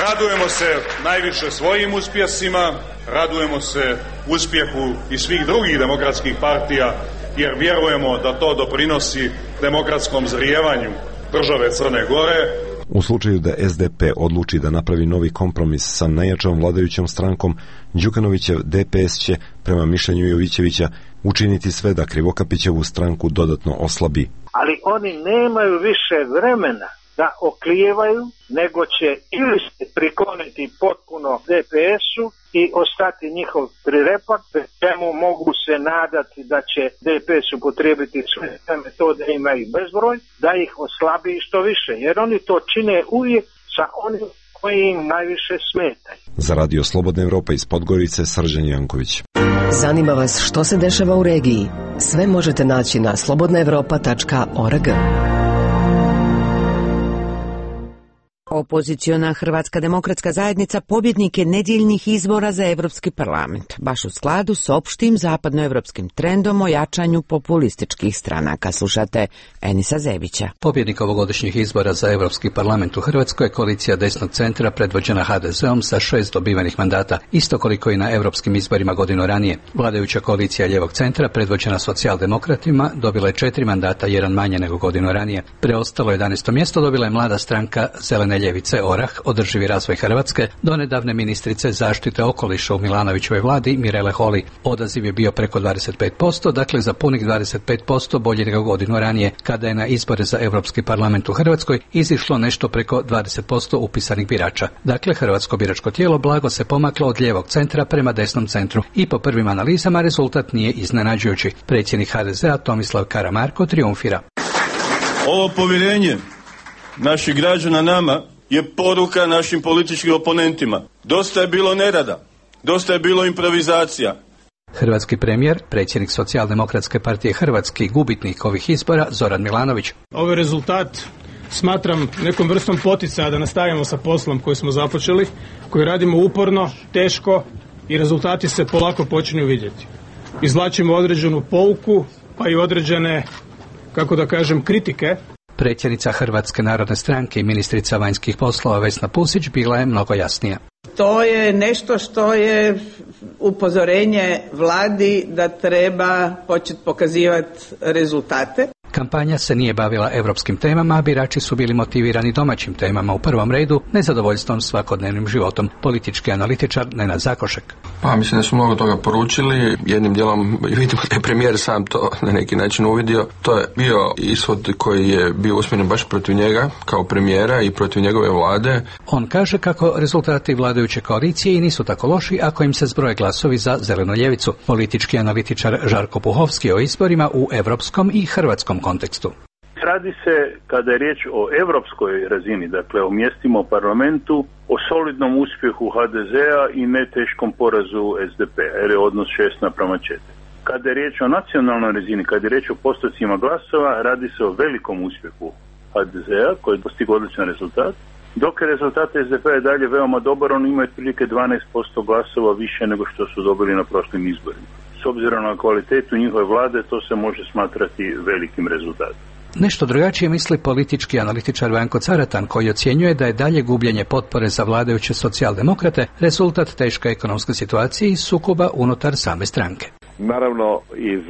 Radujemo se najviše svojim uspjesima, radujemo se uspjehu i svih drugih demokratskih partija, jer vjerujemo da to doprinosi demokratskom zrijevanju države Crne Gore. U slučaju da S D P odluči da napravi novi kompromis sa najjačom vladajućom strankom, Đukanovićev D P S će, prema mišljenju Jovićevića, učiniti sve da Krivokapićevu stranku dodatno oslabi. Ali oni nemaju više vremena da oklijevaju, nego će ili se prikloniti potpuno D P S-u i ostati njihov trirepak, čemu mogu se nadati da će D P S upotrijebiti sve te metode, ima ih bezbroj, da ih oslabi što više, jer oni to čine uvijek sa onim koji im najviše smetaju. Za Radio Slobodna Evropa iz Podgorice, Srđan Janković. Zanima vas što se dešava u regiji? Sve možete naći na slobodna evropa tačka org. Opoziciona Hrvatska demokratska zajednica pobjednik je nedjeljnih izbora za Evropski parlament, baš u skladu s opštim zapadnoevropskim trendom o jačanju populističkih stranaka. Slušate Enisa Zebića. Pobjednik ovogodišnjih izbora za Evropski parlament u Hrvatskoj je koalicija desnog centra predvođena H D Z-om sa šest dobivenih mandata, isto koliko i na europskim izborima godinu ranije. Vladajuća koalicija ljevog centra predvođena socijaldemokratima dobila je četiri mandata, jedan manje nego godinu ranije. Preostalo jedanaesto mjesto dobila je mlada stranka Zelene ljevice Orah, održivi razvoj Hrvatske, donedavne ministrice zaštite okoliša u Milanovićevoj vladi Mirele Holy. Odaziv je bio preko dvadeset pet posto, dakle za punih dvadeset pet posto bolje nego godinu ranije, kada je na izbore za Europski parlament u Hrvatskoj izišlo nešto preko dvadeset posto upisanih birača. Dakle, hrvatsko biračko tijelo blago se pomaklo od lijevog centra prema desnom centru i po prvim analizama rezultat nije iznenađujući. Predsjednik H D Z-a Tomislav Karamarko triumfira. Ovo povjerenje naših građana nama je poruka našim političkim oponentima. Dosta je bilo nerada, dosta je bilo improvizacija. Hrvatski premijer, predsjednik Socijaldemokratske partije Hrvatske i gubitnik ovih izbora Zoran Milanović. Ovaj rezultat smatram nekom vrstom poticaja da nastavimo sa poslom koji smo započeli, koji radimo uporno, teško i rezultati se polako počinju vidjeti. Izvlačimo određenu pouku, pa i određene, kako da kažem, kritike. Predsjednica Hrvatske narodne stranke i ministrica vanjskih poslova Vesna Pusić bila je mnogo jasnija. To je nešto što je upozorenje vladi da treba početi pokazivati rezultate. Kampanja se nije bavila europskim temama, a birači su bili motivirani domaćim temama, u prvom redu nezadovoljstvom svakodnevnim životom. Politički analitičar Nenad Zakošek. Pa mislim da su mnogo toga poručili, jednim dijelom vidimo da je premijer sam to na neki način uvidio. To je bio ishod koji je bio usmjeren baš protiv njega kao premijera i protiv njegove vlade. On kaže kako rezultati vladajuće koalicije i nisu tako loši ako im se zbroje glasovi za zelenu ljevicu. Politički analitičar Žarko Puhovski o izborima u europskom i hrvatskom kontekstu. Radi se, kada je riječ o europskoj razini, dakle o mjestima u parlamentu, o solidnom uspjehu H D Z-a i ne teškom porazu S D P-a, jer je odnos šest naprama četiri. Kada je riječ o nacionalnoj razini, kada je riječ o postocima glasova, radi se o velikom uspjehu H D Z-a koji je postigao odličan rezultat, dok je rezultat S D P-a je dalje veoma dobar, on ima otprilike dvanaest posto glasova više nego što su dobili na prošlim izborima. S obzirom na kvalitetu njihove vlade, to se može smatrati velikim rezultatom. Nešto drugačije misli politički analitičar Vanko Caratan, koji ocjenjuje da je dalje gubljenje potpore za vladajuće socijaldemokrate rezultat teške ekonomske situacije i sukoba unutar same stranke. Naravno, iz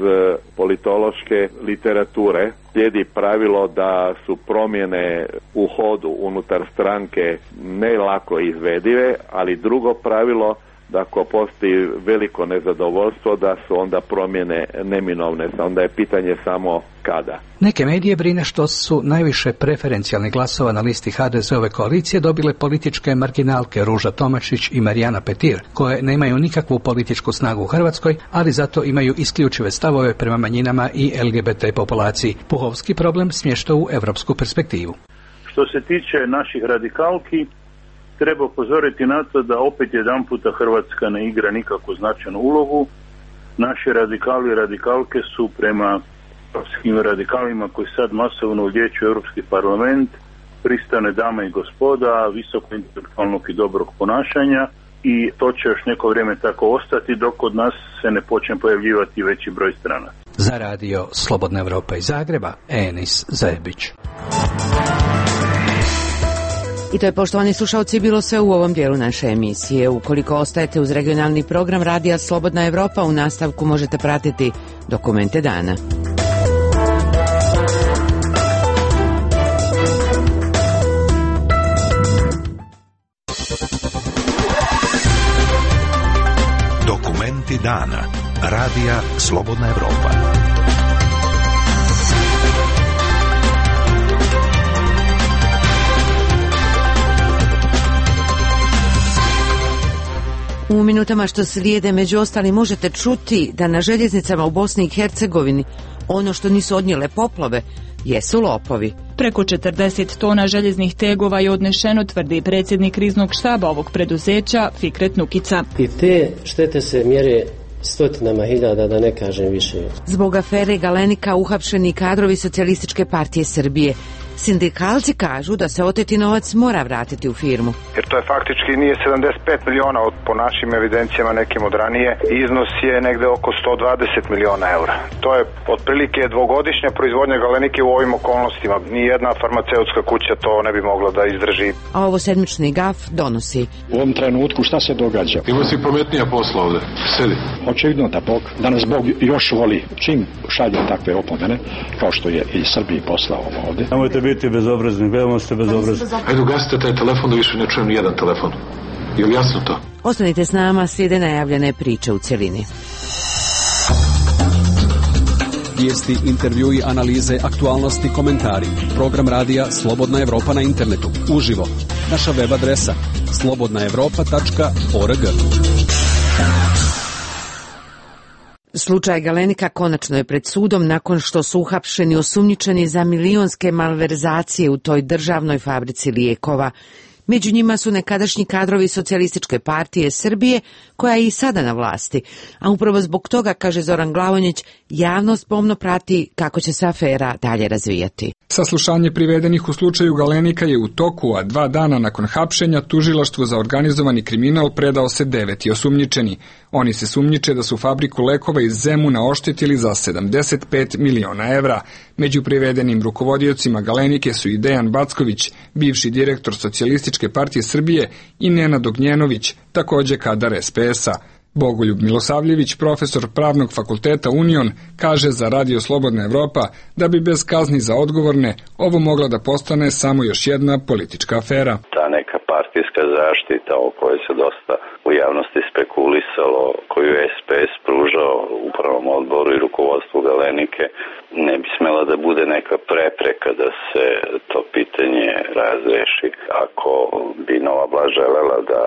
politološke literature slijedi pravilo da su promjene u hodu unutar stranke ne lako izvedive, ali drugo pravilo da ako postoji veliko nezadovoljstvo da su onda promjene neminovne, onda je pitanje samo kada. Neke medije brine što su najviše preferencijalnih glasova na listi H D Z-ove koalicije dobile političke marginalke Ruža Tomašić i Marijana Petir, koje nemaju nikakvu političku snagu u Hrvatskoj, ali zato imaju isključive stavove prema manjinama i L G B T populaciji. Puhovski problem smješta u evropsku perspektivu. Što se tiče naših radikalki, treba upozoriti na to da opet jedan puta Hrvatska ne igra nikakvu značajnu ulogu. Naši radikali i radikalke su prema europskim radikalima koji sad masovno ulječu Europski parlament pristane dame i gospoda, visoko intelektualnog i dobrog ponašanja, i to će još neko vrijeme tako ostati dok kod nas se ne počne pojavljivati veći broj strana. Za radio Slobodna Evropa iz Zagreba, Enis Zajebić. I to je, poštovani slušalci, bilo sve u ovom dijelu naše emisije. Ukoliko ostajete uz regionalni program Radija Slobodna Evropa, u nastavku možete pratiti Dokumente dana. Dokumenti dana. Radija Slobodna Evropa. U minutama što slijede, među ostali, možete čuti da na željeznicama u Bosni i Hercegovini ono što nisu odnijele poplave jesu lopovi. Preko četrdeset tona željeznih tegova je odnešeno, tvrdi predsjednik kriznog štaba ovog preduzeća Fikret Nukica. I te štete se mjere stotinama hiljada, da ne kažem više. Zbog afere Galenika uhapšeni kadrovi Socijalističke partije Srbije. Sindikalci kažu da se oteti novac mora vratiti u firmu. Jer to je faktički nije sedamdeset pet miliona od, po našim evidencijama nekim od ranije, iznos je negde oko sto dvadeset miliona eura. To je otprilike dvogodišnja proizvodnja Galenike u ovim okolnostima. Nijedna farmaceutska kuća to ne bi mogla da izdrži. A ovo sedmični gaf donosi. U ovom trenutku šta se događa? Ima si pametnija posla ovde. Sedi. Očevidno da Bog, da nas Bog još voli čim šalje takve opomene, kao što je i Srbiji poslao ovde. Nemojte biti bezobrazni, veoma ste bezobrazni. Ajde, ugasite taj telefon da više ne čujem nijedan telefon. Je li jasno to? Ostanite s nama, slijede najavljene priče u cjelini. Vijesti, intervjui, analize, aktualnosti, komentari. Program radija Slobodna Evropa na internetu. Uživo. Naša web adresa slobodna evropa tačka org. Slučaj Galenika konačno je pred sudom nakon što su uhapšeni osumnjičeni za milionske malverzacije u toj državnoj fabrici lijekova. Među njima su nekadašnji kadrovi Socijalističke partije Srbije, koja je i sada na vlasti. A upravo zbog toga, kaže Zoran Glavonjić, javnost pomno prati kako će se afera dalje razvijati. Saslušanje privedenih u slučaju Galenika je u toku, a dva dana nakon hapšenja tužilaštvu za organizovani kriminal predao se deveti osumnjičeni. Oni se sumnjiče da su fabriku lekova iz Zemuna oštetili za sedamdeset pet miliona evra. Među privedenim rukovodiocima Galenike su i Dejan Backović, bivši direktor Socijalističke partije Srbije, i Nenad Ognjenović, također kadar es pe es a. Bogoljub Milosavljević, profesor Pravnog fakulteta Union, kaže za Radio Slobodna Evropa da bi bez kazni za odgovorne ovo mogla da postane samo još jedna politička afera. Ta neka partijska zaštita o kojoj se dosta u javnosti spekulisalo, koju je es pe es pružao upravnom odboru i rukovodstvu Galenike, ne bi smela da bude neka prepreka da se to pitanje razreši. Ako bi Nova vlast želela da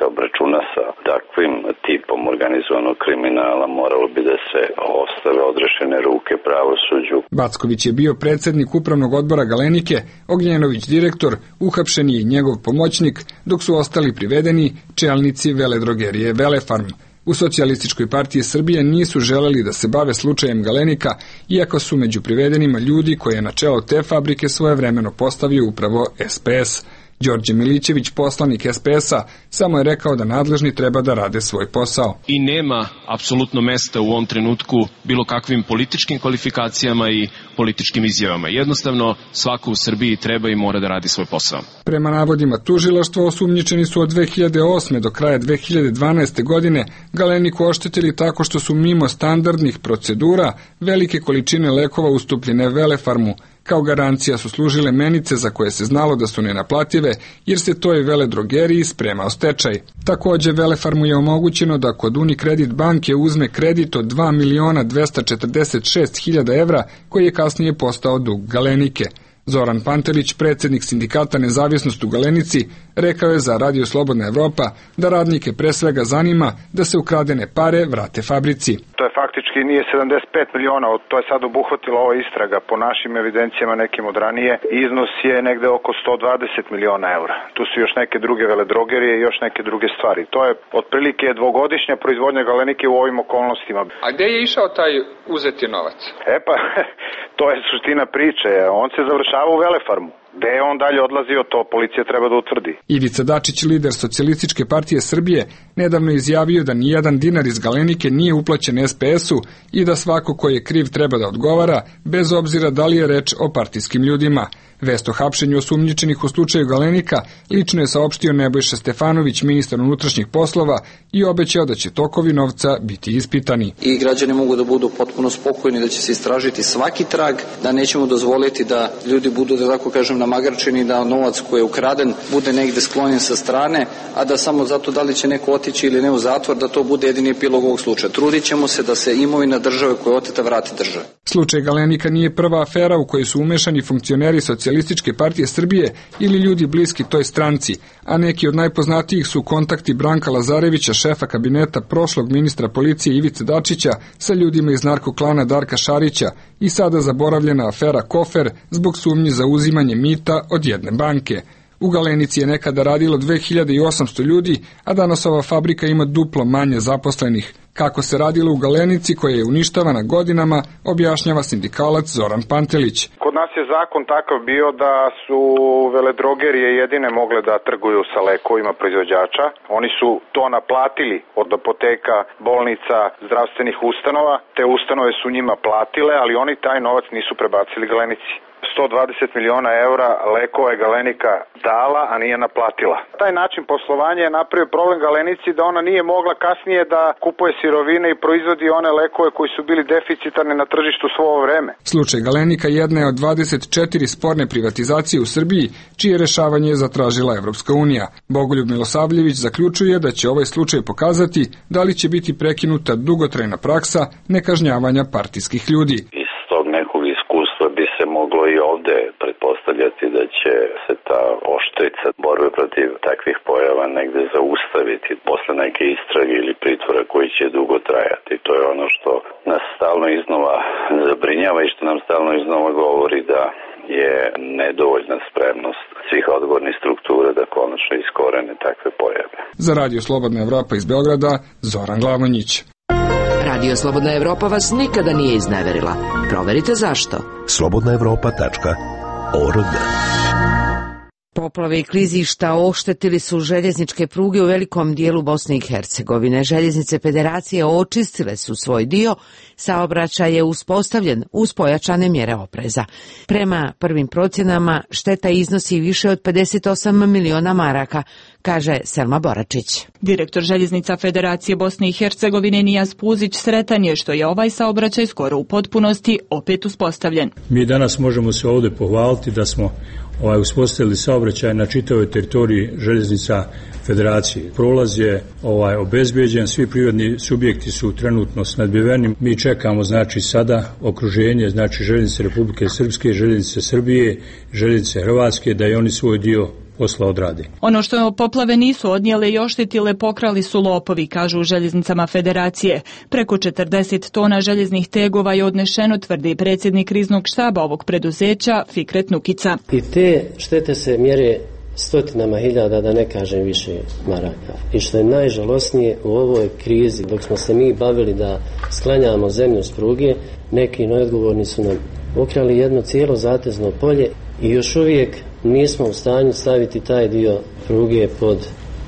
se obračuna sa takvim tipom organizovanog kriminala, moralo bi da se ostave odrešene ruke pravosuđu. Backović je bio predsjednik upravnog odbora Galenike, Ognjenović direktor, uhapšen je i njegov pomoćnik, dok su ostali privedeni čelnici veledrogerije Velefarm. U Socijalističkoj partiji Srbije nisu želeli da se bave slučajem Galenika, iako su među privedenima ljudi koje je na čelo te fabrike svojevremeno postavio upravo es pe es. Đorđe Milićević, poslanik es pe es a, samo je rekao da nadležni treba da rade svoj posao. I nema apsolutno mesta u ovom trenutku bilo kakvim političkim kvalifikacijama i političkim izjavama. Jednostavno, svako u Srbiji treba i mora da radi svoj posao. Prema navodima tužilaštva, osumnjičeni su od dve hiljade osme do kraja dve hiljade dvanaeste. godine Galeniku oštetili tako što su mimo standardnih procedura velike količine lekova ustupljene Velefarmu. Kao garancija su služile menice za koje se znalo da su nenaplative, jer se toj veledrogeriji spremao stečaj. Također Velefarmu je omogućeno da kod Unicredit banke uzme kredit od dva miliona dvesta četrdeset šest hiljada evra, koji je kasnije postao dug Galenike. Zoran Pantelić, predsjednik sindikata Nezavisnost u Galenici, Rekao je za Radio Slobodna Evropa da radnike pre svega zanima da se ukradene pare vrate fabrici. To je faktički nije sedamdeset pet miliona, to je sad obuhvatila ova istraga. Po našim evidencijama nekim od ranije iznos je negde oko sto dvadeset miliona eura. Tu su još neke druge veledrogerije i još neke druge stvari. To je otprilike dvogodišnja proizvodnja galenike u ovim okolnostima. A gde je išao taj uzeti novac? E pa, to je suština priče. On se završava u Velefarmu. Gde je on dalje odlazio, to policija treba da utvrdi. Ivica Dačić, lider Socijalističke partije Srbije, nedavno izjavio da nijedan dinar iz Galenike nije uplaćen es pe esu i da svako ko je kriv treba da odgovara, bez obzira da li je reč o partijskim ljudima. Vest o hapšenju osumnjičenih u slučaju Galenika lično je saopštio Nebojša Stefanović, ministar unutrašnjih poslova, i obećao da će tokovi novca biti ispitani. I građani mogu da budu potpuno spokojni da će se istražiti svaki trag, da nećemo dozvoliti da ljudi budu, da tako kažem, namagarčeni, da novac koji je ukraden bude negde sklonjen sa strane, a da samo zato da li će neko otići ili ne u zatvor, da to bude jedini epilog ovog slučaja. Trudit ćemo se da se imovina države koja je oteta vrati države. Slučaj Galenika nije prva afera u kojoj su umešani funkcioneri Socijalističke partije Srbije ili ljudi bliski toj stranci, a neki od najpoznatijih su kontakti Branka Lazarevića, šefa kabineta prošlog ministra policije Ivice Dačića, sa ljudima iz narkoklana Darka Šarića i sada zaboravljena afera Kofer zbog sumnji za uzimanje mita od jedne banke. U Galenici je nekada radilo dve hiljade osamsto ljudi, a danas ova fabrika ima duplo manje zaposlenih. Kako se radilo u Galenici koja je uništavana godinama, objašnjava sindikalac Zoran Pantelić. Kod nas je zakon takav bio da su veledrogerije jedine mogle da trguju sa lekovima proizvođača. Oni su to naplatili od apoteka, bolnica, zdravstvenih ustanova. Te ustanove su njima platile, ali oni taj novac nisu prebacili Galenici. sto dvadeset miliona eura lekova je Galenika dala, a nije naplatila. Taj način poslovanja je napravio problem Galenici da ona nije mogla kasnije da kupuje sirovine i proizvodi one lekove koji su bili deficitarni na tržištu svo ovo vreme. Slučaj Galenika jedna je od dvadeset četiri sporne privatizacije u Srbiji, čije rešavanje je zatražila Evropska unija. Bogoljub Milosavljević zaključuje da će ovaj slučaj pokazati da li će biti prekinuta dugotrajna praksa nekažnjavanja partijskih ljudi. Bi se moglo i ovde pretpostavljati da će se ta oštrica borbe protiv takvih pojava negde zaustaviti posle neke istrage ili pritvora koji će dugo trajati. To je ono što nas stalno iznova zabrinjava i što nam stalno iznova govori da je nedovoljna spremnost svih odgovornih struktura da konačno iskorene takve pojave. Za Radio Slobodna Evropa iz Beograda, Zoran Glamonjić. Radio Slobodna Evropa vas nikada nije izneverila. Proverite zašto. slobodna evropa tačka org. Poplave i klizišta oštetili su željezničke pruge u velikom dijelu Bosne i Hercegovine. Željeznice Federacije očistile su svoj dio, saobraćaj je uspostavljen uz pojačane mjere opreza. Prema prvim procjenama šteta iznosi više od pedeset osam miliona maraka, kaže Selma Boračić. Direktor Željeznica Federacije Bosne i Hercegovine Nijaz Puzić sretan je što je ovaj saobraćaj skoro u potpunosti opet uspostavljen. Mi danas možemo se ovdje pohvaliti da smo ovaj, uspostavili saobraćaj na čitavoj teritoriji Željeznica Federacije. Prolaz je ovaj, obezbeđen, svi privredni subjekti su trenutno snadbiveni. Mi čekamo znači sada okruženje, znači Željeznice Republike Srpske, Željeznice Srbije, Željeznice Hrvatske, da i oni svoj dio posla odrade. Ono što poplave nisu odnijele i oštetile pokrali su lopovi, kažu u Željeznicama Federacije. Preko četrdeset tona željeznih tegova je odnešeno, tvrdi predsjednik kriznog štaba ovog preduzeća Fikret Nukica. I te štete se mjere stotinama hiljada, da ne kažem više maraka. I što je najžalosnije u ovoj krizi, dok smo se mi bavili da sklanjamo zemlju s pruge, neki neodgovorni su nam ukrali jedno cijelo zatezno polje i još uvijek nismo u stanju staviti taj dio pruge pod,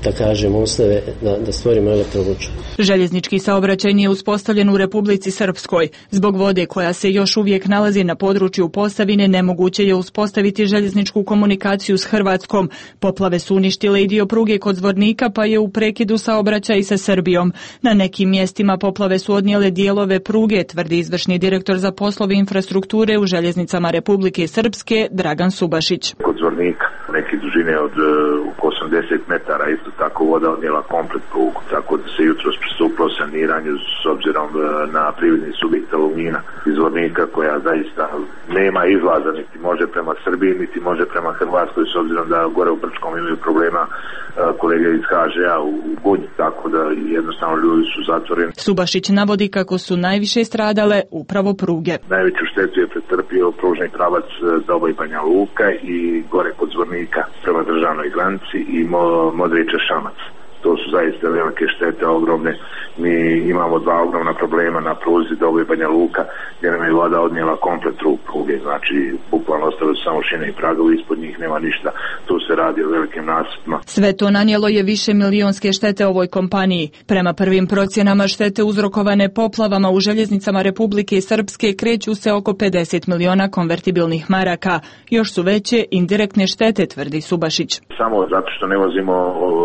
da kažem, uslove da, da stvorimo elektrovuču. Željeznički saobraćaj nije uspostavljen u Republici Srpskoj. Zbog vode koja se još uvijek nalazi na području Posavine, nemoguće je uspostaviti željezničku komunikaciju s Hrvatskom. Poplave su uništile i dio pruge kod Zvornika, pa je u prekidu saobraćaj i sa Srbijom. Na nekim mjestima poplave su odnijele dijelove pruge, tvrdi izvršni direktor za poslove infrastrukture u Željeznicama Republike Srpske Dragan Subašić. Kod Zvornika neki dužine od uh, oko osamdeset metara, isto tako voda odnijela komplet prugu, tako da se jutros pristupilo saniranju s obzirom uh, na privredni subjekt Alumina izvornika koja zaista nema izlaza, niti može prema Srbiji, niti može prema Hrvatskoj, s obzirom da gore u Brčkom imaju problema uh, kolege iz ha že a u, u Gunji, tako da jednostavno ljudi su zatvoreni. Subašić navodi kako su najviše stradale upravo pruge. Najveću štetu je pretrpio pružni pravac Doboj Banja Luka i gore kod Zvornika prema državnoj granici i Mo, Modriče Šamac. To su zaista velike štete, ogromne. Mi imamo dva ogromna problema na pruzi Doboj Banja Luka, gdje nam je voda odnijela komplet trug pruge, znači bukvalno ostale su samo šine i pragovi, ispod njih nema ništa. Tu se radi o velikim nasipima. Sve to nanijelo je više milionske štete ovoj kompaniji. Prema prvim procjenama štete uzrokovane poplavama u željeznicama Republike Srpske kreću se oko pedeset miliona konvertibilnih maraka. Još su veće indirektne štete, tvrdi Subašić. Samo zato što ne vozimo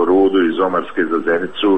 rudu iz Omarske za Zenicu,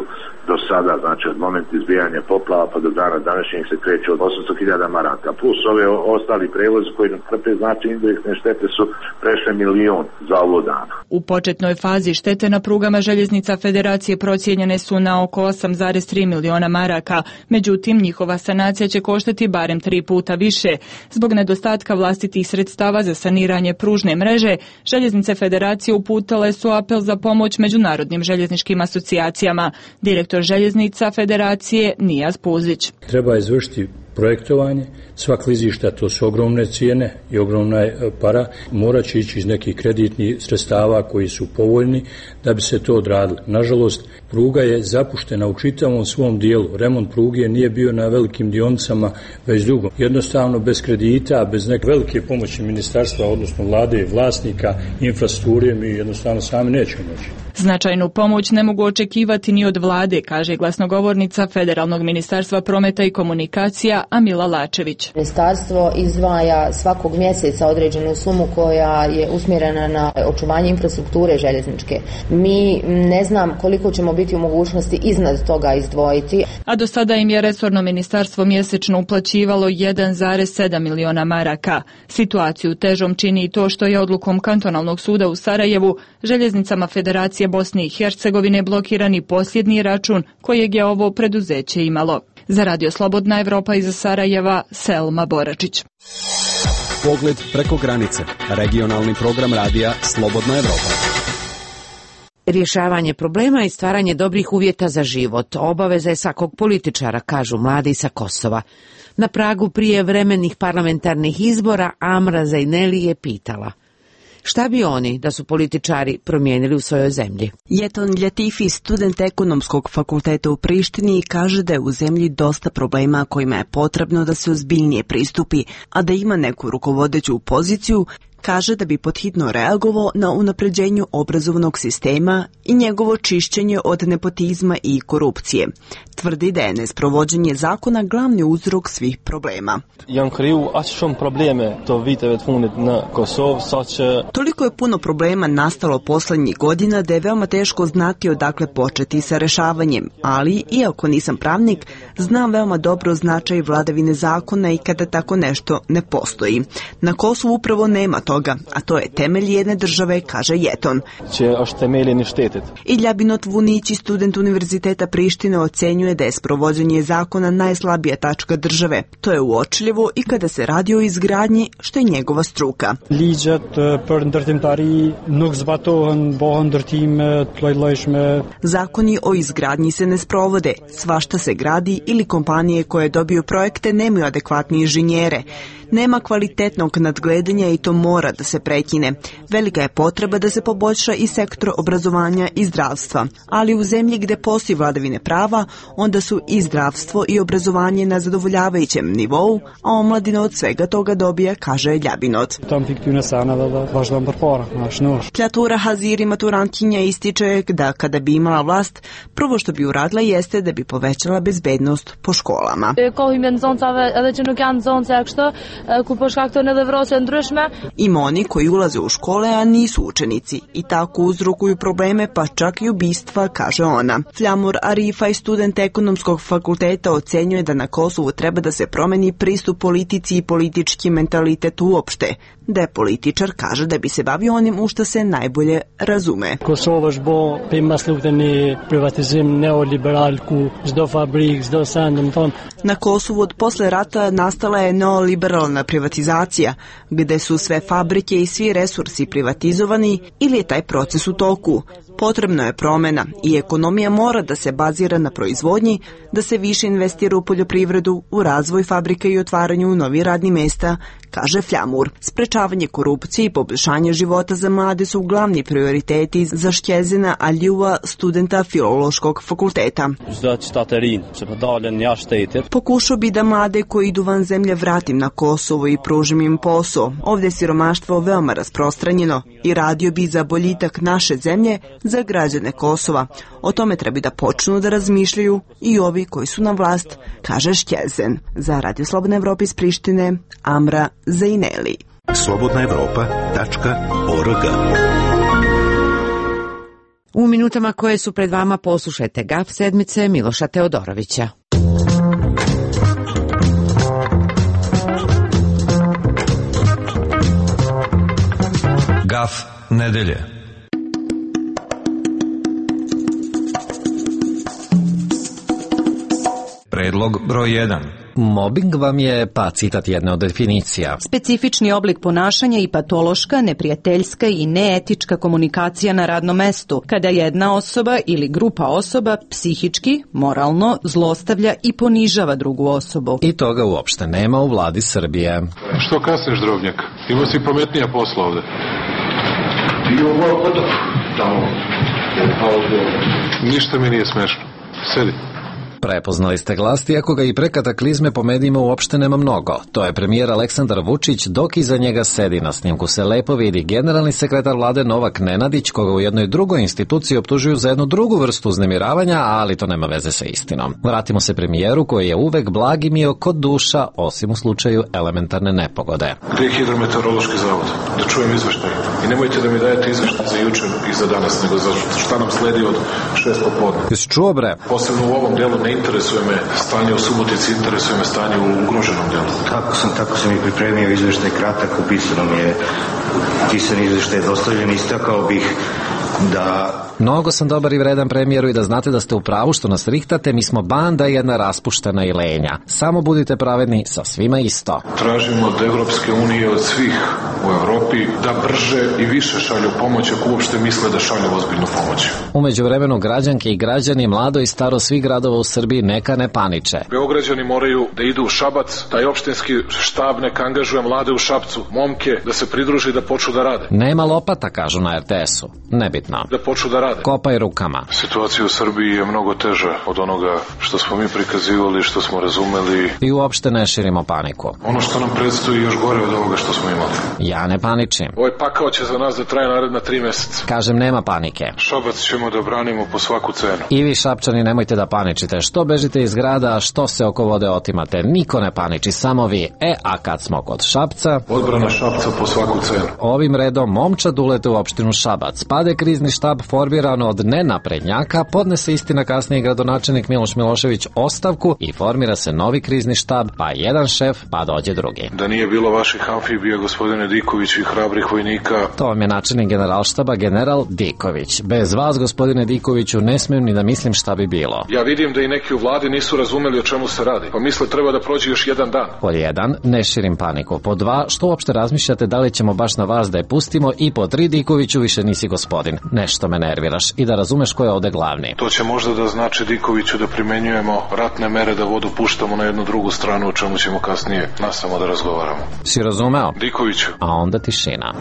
do sada, znači od momenta izbijanja poplava pa do dana današnjeg se kreće od osamsto hiljada maraka, plus ove ostali prevozi koji nam trpe, znači indirektne štete su prešle milion za ovo dana. U početnoj fazi štete na prugama željeznica Federacije procijenjene su na oko osam zarez tri miliona maraka, međutim njihova sanacija će koštati barem tri puta više. Zbog nedostatka vlastitih sredstava za saniranje pružne mreže, željeznice Federacije uputile su apel za pomoć međunarodnim željezničkim asocijacijama. Direktor željeznica Federacije Nijaz Puzić. Treba izvršiti projektovanje, sva klizišta, to su ogromne cijene i ogromna para, morat će ići iz nekih kreditnih sredstava koji su povoljni da bi se to odradilo. Nažalost, pruga je zapuštena u čitavom svom dijelu. Remont pruge nije bio na velikim dionicama već dugo. Jednostavno, bez kredita, bez neke velike pomoći ministarstva, odnosno vlade i vlasnika, infrastrukture, mi jednostavno sami nećemo moći. Značajnu pomoć ne mogu očekivati ni od vlade, kaže glasnogovornica Federalnog ministarstva prometa i komunikacija Amila Lačević. Ministarstvo izdvaja svakog mjeseca određenu sumu koja je usmjerena na očuvanje infrastrukture željezničke. Mi ne znam koliko ćemo biti u mogućnosti iznad toga izdvojiti. A do sada im je resorno ministarstvo mjesečno uplaćivalo jedan zarez sedam miliona maraka. Situaciju težom čini i to što je odlukom kantonalnog suda u Sarajevu željeznicama Federacije Bosne i Hercegovine blokirani posljednji račun kojeg je ovo preduzeće imalo. Za Radio Slobodna Evropa iz Sarajeva, Selma Boračić. Pogled preko granice. Regionalni program radija Slobodna Evropa. Rješavanje problema i stvaranje dobrih uvjeta za život obaveza je svakog političara, kažu mladi sa Kosova. Na pragu prijevremenih parlamentarnih izbora Amra Zajneli je pitala: šta bi oni, da su političari, promijenili u svojoj zemlji? Jeton Ljatifi, student ekonomskog fakulteta u Prištini, kaže da je u zemlji dosta problema kojima je potrebno da se ozbiljnije pristupi, a da ima neku rukovodeću poziciju, kaže da bi podhitno reagovao na unapređenju obrazovnog sistema i njegovo čišćenje od nepotizma i korupcije. Tvrdi da je nesprovođenje zakona glavni uzrok svih problema. Toliko je puno problema nastalo posljednjih godina da je veoma teško znati odakle početi sa rešavanjem, ali, iako nisam pravnik, znam veoma dobro značaj vladavine zakona i kada tako nešto ne postoji. Na Kosovu upravo nema toga, a to je temelj jedne države, kaže Jeton. Ilja Binot Vunići, student Univerziteta Prištine, ocenjuje da je sprovođenje zakona najslabija tačka države. To je uočljivo i kada se radi o izgradnji, što je njegova struka. Zakoni o izgradnji se ne sprovode, svašta se gradi ili kompanije koje dobiju projekte nemaju adekvatne inženjere. Nema kvalitetnog nadgledanja i to mora da se prekine. Velika je potreba da se poboljša i sektor obrazovanja i zdravstva. Ali u zemlji gde postoji vladavine prava, onda su i zdravstvo i obrazovanje na zadovoljavajućem nivou, a omladina od svega toga dobija, kaže Ljabinot. Kljatura Haziri, maturantkinja, ističe da kada bi imala vlast, prvo što bi uradila jeste da bi povećala bezbednost po školama. Ima oni koji ulaze u škole, a nisu učenici i tako uzrokuju probleme, pa čak i ubistva, kaže ona. Flamur Arifaj, student ekonomskog fakulteta, ocenjuje da na Kosovu treba da se promeni pristup politici i politički mentalitet uopšte. Depolitičar kaže da bi se bavio onim u što se najbolje razume. Kosova është bo pema slukën e privatizim neoliberal ku çdo fabrik, çdo send, domethënë. Na Kosovu od posle rata nastala je neoliberalna privatizacija, gde su sve fabrike i svi resursi privatizovani ili je taj proces u toku. Potrebno je promena i ekonomija mora da se bazira na proizvodnji, da se više investira u poljoprivredu, u razvoj fabrike i otvaranju novih radnih mesta, kaže Fljamur. Sprečavanje korupcije i poboljšanje života za mlade su glavni prioriteti za Shqezina Aljua, studenta Filološkog fakulteta. Pokušao bi da mlade koji idu van zemlje vratim na Kosovo i pružim im posao. Ovdje je siromaštvo veoma rasprostranjeno i radio bi za boljitak naše zemlje za građane Kosova. O tome treba da počnu da razmišljaju i ovi koji su na vlast, kaže Shqezen. Za Radio Slobodna Evropa iz Prištine, Amra Zajneli. slobodna evropa tačka org. U minutama koje su pred vama poslušajte Gaf sedmice Miloša Teodorovića. Gaf nedelje. Predlog broj jedan. Mobing vam je, pa citat jedne od definicija, specifični oblik ponašanja i patološka, neprijateljska i neetička komunikacija na radnom mestu, kada jedna osoba ili grupa osoba psihički, moralno zlostavlja i ponižava drugu osobu. I toga uopšte nema u vladi Srbije. Što kasneš, drobnjak? Ima si pametnija posla ovde. Ništa mi nije smešno. Sedi. Prepoznali ste glas, iako ga i pre kataklizme po medijima uopšte nema mnogo. To je premijer Aleksandar Vučić, dok iza njega sedi. Na snimku se lepo vidi generalni sekretar vlade Novak Nenadić, koga u jednoj drugoj instituciji optužuju za jednu drugu vrstu uznemiravanja, ali to nema veze sa istinom. Vratimo se premijeru koji je uvek blagi mio kod duša, osim u slučaju elementarne nepogode. Gde je hidrometeorološki zavod? Da čujem izveštaj. I nemojte da mi dajete izveštaj za juče i za danas, nego za šta nam sledi od šest popodne. Jesi čuo, bre? Posebno u ovom delu ne interesuje me stanje u Subotici, interesuje me stanje u ugroženom delu. Tako sam, tako sam i pripremio izveštaj kratak, upisano mi je pisani izveštaj dostavljen, istakao bih da... Mnogo sam dobar i vredan premijeru i da znate da ste u pravu što nas rihtate, mi smo banda jedna raspuštena i lenja. Samo budite pravedni, sa svima isto. Tražimo od Evropske unije, od svih u Evropi, da brže i više šalju pomoć ako uopšte misle da šalju ozbiljnu pomoć. U međuvremenu građanke i građani, mlado i staro svih gradova u Srbiji neka ne paniče. Beograđani moraju da idu u Šabac, taj opštinski štab neka angažuje mlade u Šapcu, momke, da se pridruže i da počnu da rade. Nema lopata, kažu na er te esu. Nebitno. Da počnu da rade. Kopaj rukama. Situacija u Srbiji je mnogo teža od onoga što smo mi prikazivali, što smo razumeli. I uopšte ne širimo paniku. Ono što nam predstoji još gore od ovoga što smo imali. Ja ne paničim. Ovaj pakao će za nas da traje naredna tri meseca. Kažem, nema panike. Šabac ćemo da branimo po svaku cenu. I vi, Šapčani, nemojte da paničite. Što bežite iz grada, što se oko vode otimate. Niko ne paniči, samo vi. E, a kad smo kod Šapca... Odbrana Šapca po svaku cenu. Ovim redom momčad ulete u opštinu Šabac. Pade krizni štab formiran od nenaprednjaka, podnese istina kasnije gradonačelnik Miloš Milošević ostavku i formira se novi krizni štab, pa jedan šef, pa dođe drugi. Da nije bilo vaših amfibija, gospodine Diković, i hrabrih vojnika... To vam je načelnik generalštaba, general Diković. Bez vas, gospodine Dikoviću, ne smijem ni da mislim šta bi bilo. Ja vidim da i neki u vladi nisu razumeli o čemu se radi, pa misle treba da prođe još jedan dan. Pod jedan, ne širim paniku. Pod dva, što uopšte razmišljate da li ćemo baš na vas da je pustimo, i pod tri, Dikoviću, više nisi gospodin. Nešto me nerviraš i da razumeš ko je ovde glavni. To će možda da znači, Dikoviću, da primenjujemo ratne mere, da vodu puštamo na jednu drugu stranu, o čemu ćemo kasnije nasamo da razgovaramo. Si razumeo? Dikoviću. A onda tišina.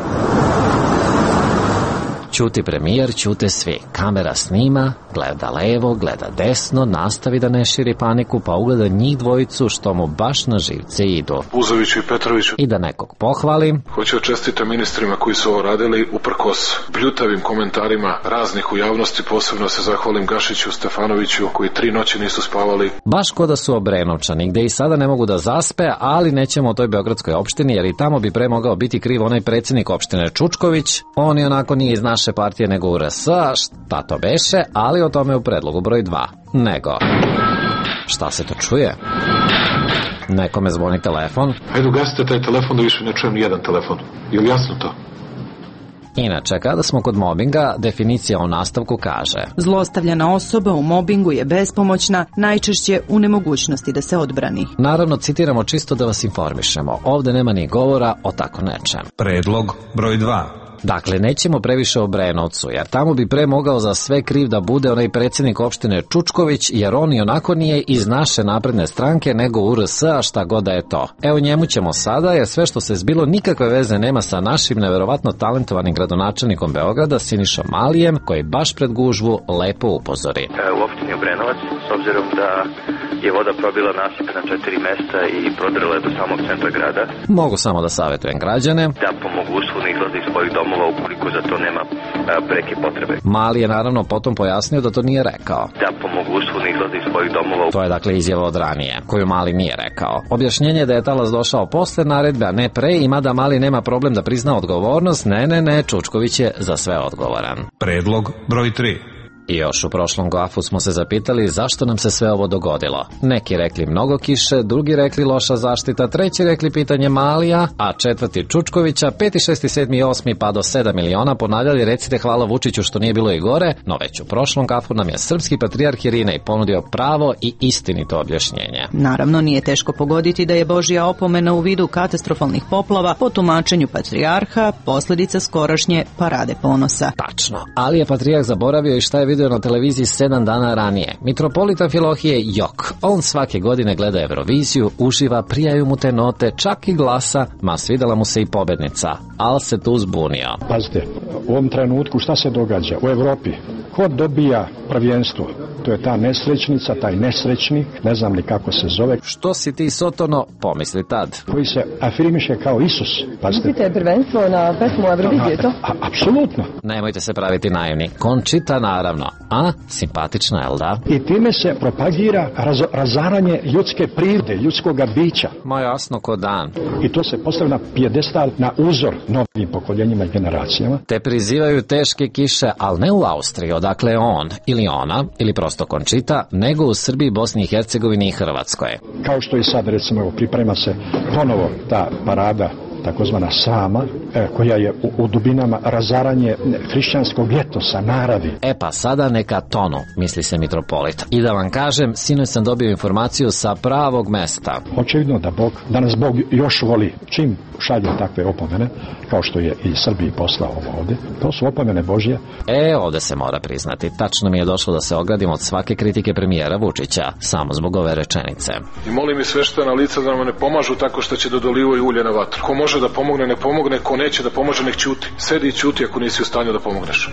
Ćuti premijer, ćute svi. Kamera snima, gleda levo, gleda desno, nastavi da ne širi paniku, pa ugleda njih dvojicu što mu baš na živce idu. Uzoviću i Petroviću. I da nekog pohvali. Hoću čestite ministrima koji su ovo radili, uprkos bljutavim komentarima raznih u javnosti, posebno se zahvalim Gašiću, Stefanoviću, koji tri noći nisu spavali. Baš ko da su Obrenovčani, gde i sada ne mogu da zaspe, ali nećemo o toj beogradskoj opštini, jer i tamo bi pre mogao biti kriv onaj predsjednik opštine Čučković. On i onako nije iz naše partije nego u er es a, šta to beše, ali o tome u predlogu broj dva. Nego, šta se to čuje? Nekome zvoni telefon. Ajde, ugasite taj telefon da više ne čujem nijedan telefon. Je li jasno to? Inače, kada smo kod mobinga, definicija u nastavku kaže: zlostavljana osoba u mobingu je bespomoćna, najčešće u nemogućnosti da se odbrani. Naravno, citiramo čisto da vas informišemo. Ovde nema ni govora o tako nečem. Predlog broj dva. Dakle, nećemo previše o Brenovcu, jer tamo bi pre mogao za sve kriv da bude onaj predsjednik opštine Čučković, jer on i onako nije iz naše napredne stranke, nego U R S, a šta god da je to. Evo njemu ćemo sada, jer sve što se zbilo nikakve veze nema sa našim neverovatno talentovanim gradonačelnikom Beograda, Sinišom Malijem, koji baš pred gužvu lepo upozori. U opštini Obrenovac, s obzirom da je voda probila nasip na četiri mesta i prodrla je do samog centra grada. Mogu samo da savjetujem građane da po mogućstvu ne izlaze iz svojih domova ukoliko za to nema a, preke potrebe. Mali je naravno potom pojasnio da to nije rekao. Da po mogućstvu ne izlaze iz svojih domova. To je dakle izjava od ranije, koju Mali nije rekao. Objašnjenje je da je talas došao posle naredbe, a ne pre, i mada Mali nema problem da prizna odgovornost, ne, ne, ne, Čučković je za sve odgovoran. Predlog broj tri. I još u prošlom gafu smo se zapitali zašto nam se sve ovo dogodilo. Neki rekli mnogo kiše, drugi rekli loša zaštita, treći rekli pitanje Malija, a četvrti Čučkovića, peti, šesti, sedmi i osmi pa do sedam miliona ponavljali recite hvala Vučiću što nije bilo i gore, no već u prošlom gafu nam je srpski patrijarh Irinej ponudio pravo i istinito objašnjenje. Naravno, nije teško pogoditi da je Božja opomena u vidu katastrofalnih poplava po tumačenju patrijarha posljedica skorašnje parade ponosa. Tačno, ali je patrijarh zaboravio i šta je video na televiziji sedam dana ranije. Mitropolita Filohije Jok. On svake godine gleda Euroviziju, uživa, prijaju mu te note, čak i glasa, ma svidela mu se i pobednica, ali se tu zbunio. Pazite, u ovom trenutku šta se događa u Evropi? Ko dobija prvenstvo? To je ta nesrećnica, taj nesrećnik, ne znam ni kako se zove. Što si ti, Sotono, pomisli tad? Koji se afirmiše kao Isus. Pazite. Mislite prvenstvo na pesmu Eurovizije, to? Apsolutno. Nemojte se praviti naivni. Končita, naravno. A, simpatična, jel da? I time se propagira raz, razaranje ljudske prirode, ljudskog bića. Ma jasno ko dan. I to se postavlja na pijedestal, na uzor novim pokoljenjima i generacijama. Te prizivaju teške kiše, ali ne u Austriji, odakle je on, ili ona, ili prosto Končita, nego u Srbiji, Bosni i Hercegovini i Hrvatskoj. Kao što i sad, recimo, priprema se ponovo ta parada, takozvana Sama, e, koja je u, u dubinama razaranje hrišćanskog etosa, naravi. E pa sada neka tonu, misli se mitropolit. I da vam kažem, sinoć sam dobio informaciju sa pravog mesta. Očevidno da Bog, da nas Bog još voli. Čim šalje takve opomene, kao što je i Srbiji poslao ovo ovde, to su opomene Božje. E, ovde se mora priznati. Tačno mi je došlo da se ogradim od svake kritike premijera Vučića, samo zbog ove rečenice. I molim i sveštena lica da nam ne pomažu tako što će da dolivaju ulje na vatru. Ko može da pomogne, ne pomogne, ko neće da pomože, nek ćuti. Sedi i ćuti ako nisi u stanju da pomogneš.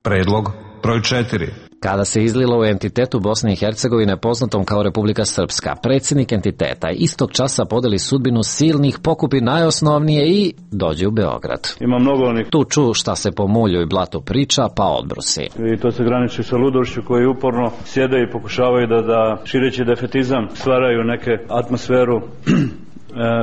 Predlog broj četiri. Kada se izlilo u entitetu Bosne i Hercegovine poznatom kao Republika Srpska, predsjednik entiteta istog časa podeli sudbinu silnih, pokupi najosnovnije i dođe u Beograd. Ima mnogo onih. Tu ču šta se po mulju i blatu priča, pa odbrusi. I to se graniči sa ludošću koji uporno sjede i pokušavaju da, da šireći defetizam stvaraju neke atmosferu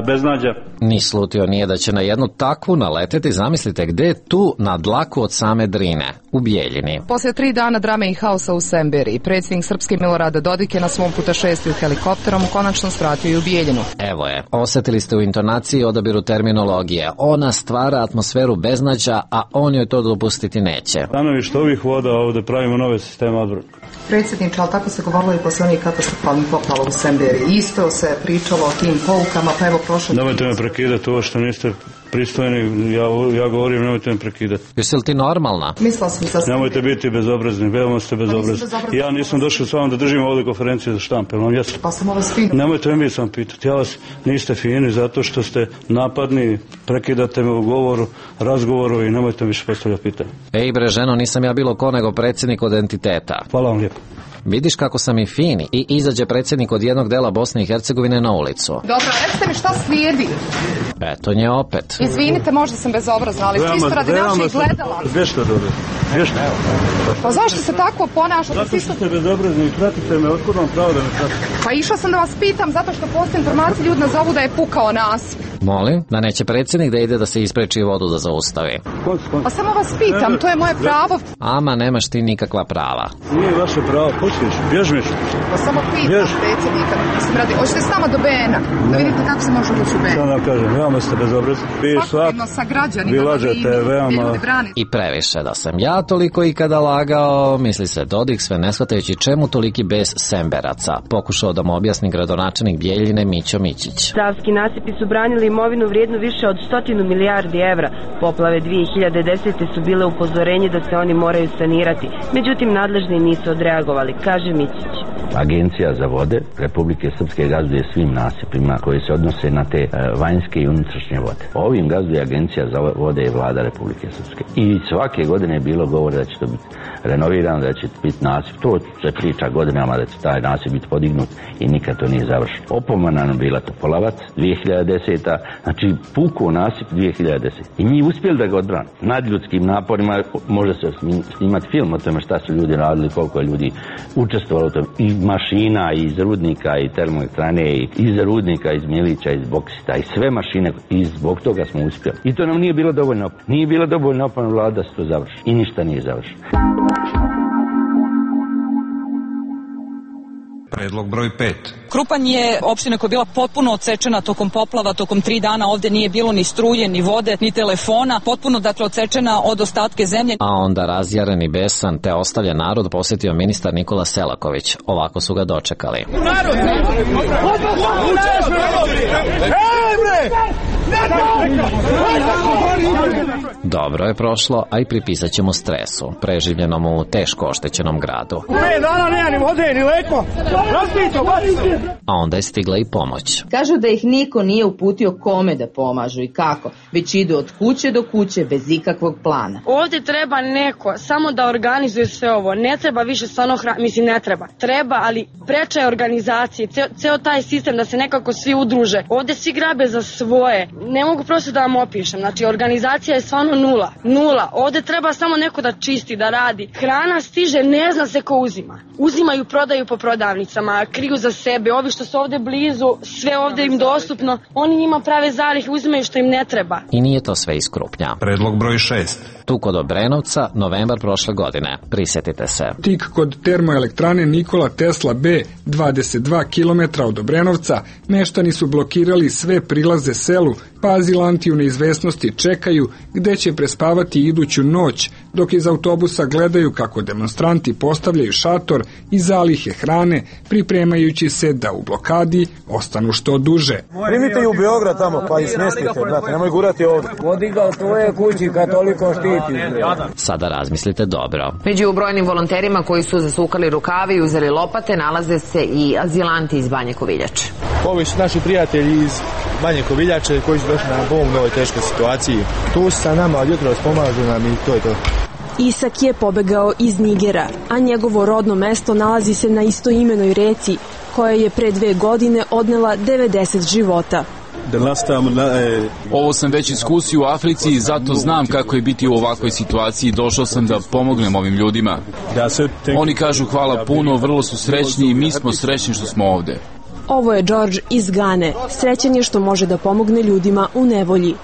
beznađa. Ni slutio nije da će na jednu takvu naleteti, zamislite gde je tu na dlaku od same Drine, u Bijeljini. Poslije tri dana drame i haosa u Semberiji, predsjednik Srpske Milorad Dodik je na svom putešestiju helikopterom konačno svratio i u Bijeljinu. Evo je, osjetili ste u intonaciji i odabiru terminologije. Ona stvara atmosferu beznađa, a on joj to dopustiti neće. Stanovište ovih voda ovde pravimo nove sisteme odbrane. Predsjedniče, ali tako se govorilo i posle onih katastrofalnih poplava u Semberiji. Isto se pričalo o tim poukama, pa evo prošlo... Nemojte me prekidati, ovo što niste pristojni, ja, ja govorim, nemojte me prekidati. Jesi li ti normalna? Mislila sam sa... Nemojte biti bezobrazni, veoma ste bezobrazni. Ja nisam došao s vama da držim ovdje konferencije za štampe, vam jesam. Pa sam ovo fino. Nemojte me vi sam pitati, ja vas niste fini zato što ste napadni, prekidate me u govoru, razgovoru i nemojte mi više postavljati pitanje. Ej bre ženo, nisam ja bilo ko nego predsjednik od entiteta. Hvala vam lijepo. Vidiš kako sam i fini i izađe predsjednik od jednog dela Bosne i Hercegovine na ulicu. Dobro, recite mi šta slijedi? Eto nje opet. Izvinite, možda sam bezobrazna, ali čisto radi naših gledala. Gdje što dobro? Gdje što? Pa zašto se tako ponašate? Zato što ste bezobrazni i pratite me, otkud vam pravo da me pratite? Pa išla sam da vas pitam, zato što postoje informacije, ljudi nazovu da je pukao nasip. Molim, da neće predsjednik da ide da se ispreči vodu da zaustavi. Pa samo vas pitam, to je moje pravo. Ama, nemaš ti nikakva prava. Nije vaše pravo, ko pustiš, bježmiš. Pa samo pitam predsjednika, mislim radi, hoćete s nama do B N-a, da vidite kako se može doći u B N. Sada kažem, veoma ste bezobrazni. Svakodnevno sa građanima, vi lažete, veoma... I previše da sam ja toliko ikada lagao, misli se Dodik, sve ne shvatajući čemu toliki bes Semberaca, pokušao da mu objasni gradonačelnik Bijeljine Mićo Mićić. Savski nasipi su branili imovinu vrijednu više od stotinu milijardi evra. Poplave dvije hiljade desete su bile upozorenje da se oni moraju sanirati. Međutim, nadležni nisu odreagovali, kaže Mićić. Agencija za vode Republike Srpske gazduje svim nasipima koji se odnose na te vanjske i unutrašnje vode. Ovim gazduje Agencija za vode i vlada Republike Srpske. I svake godine je bilo govore da će to biti renovirano, da će biti nasip. To se priča godinama da će taj nasip biti podignut i nikad to nije završeno. Opomena nam bila Topolavac dvije hiljade desete. Znači puko nasip dvije hiljade desete. I mi uspjeli da ga odbrane. Nad ljudskim naporima može se snimati film o tome šta su ljudi radili, koliko je ljudi učestvovalo u tome. I mašina iz rudnika i termoelektrane i iz rudnika, iz Milića, iz boksita i sve mašine i zbog toga smo uspjeli. I to nam nije bilo dovoljno. Nije bilo dovoljno opomena vlada da se to završi. I ništa nije završeno. Predlog broj pet. Krupanj je opština koja je bila potpuno odsečena tokom poplava, tokom tri dana. Ovdje nije bilo ni struje, ni vode, ni telefona. Potpuno, dakle, odsečena od ostatke zemlje. A onda razjaren i besan te ostavljen narod posjetio ministar Nikola Selaković. Ovako su ga dočekali. Narod! Dobro je prošlo, a i pripisat ćemo stresu, preživljenom u teško oštećenom gradu. A onda je stigla i pomoć. Kažu da ih niko nije uputio kome da pomažu i kako, već idu od kuće do kuće bez ikakvog plana. Ovdje treba neko samo da organizuje sve ovo, ne treba više stvarno hra... mislim ne treba, treba, ali preče je organizacije, ceo, ceo taj sistem da se nekako svi udruže. Ovdje svi grabe za svoje, ne mogu prosto da vam opišem, znači organizacija je stvarno nula, nula. Ovdje treba samo neko da čisti, da radi. Hrana stiže, ne zna se ko uzima. Uzimaju, prodaju po prodavnicama, kriju za sebe, ovi što su ovdje blizu, sve ovdje im dostupno, oni njima prave zalihe, uzimaju što im ne treba. I nije to sve iz Krupnja. Predlog broj šest. Tu kod Obrenovca, novembar prošle godine. Prisjetite se. Tik kod termoelektrane Nikola Tesla B, dvadeset dva kilometra od Obrenovca, meštani su blokirali sve prilaze selu, pa azilanti u neizvesnosti čekaju gde će prespavati iduću noć, dok iz autobusa gledaju kako demonstranti postavljaju šator i zalihe hrane, pripremajući se da u blokadi ostanu što duže. Primite i u Beograd tamo, pa i smestite, brate, nemoj gurati ovdje. Vodi ga u tvoje kući kad toliko štiti. Sada razmislite dobro. Među brojnim volonterima koji su zasukali rukavi i uzeli lopate nalaze se i azilanti iz Banje Koviljače. Ovi su naši prijatelji iz Banje Koviljače koji su došli na pomoć u ovoj teškoj situaciji. Tu su sa nama od jutros, pomažu nam i to je to. Isak je pobegao iz Nigera, a njegovo rodno mesto nalazi se na istoimenoj reci, koja je pre dve godine odnela devedeset života. Ovo sam već iskusio u Africi i zato znam kako je biti u ovakvoj situaciji. Došao sam da pomognem ovim ljudima. Oni kažu hvala puno, vrlo su srećni i mi smo srećni što smo ovde. Ovo je George iz Gane. Srećan je što može da pomogne ljudima u nevolji.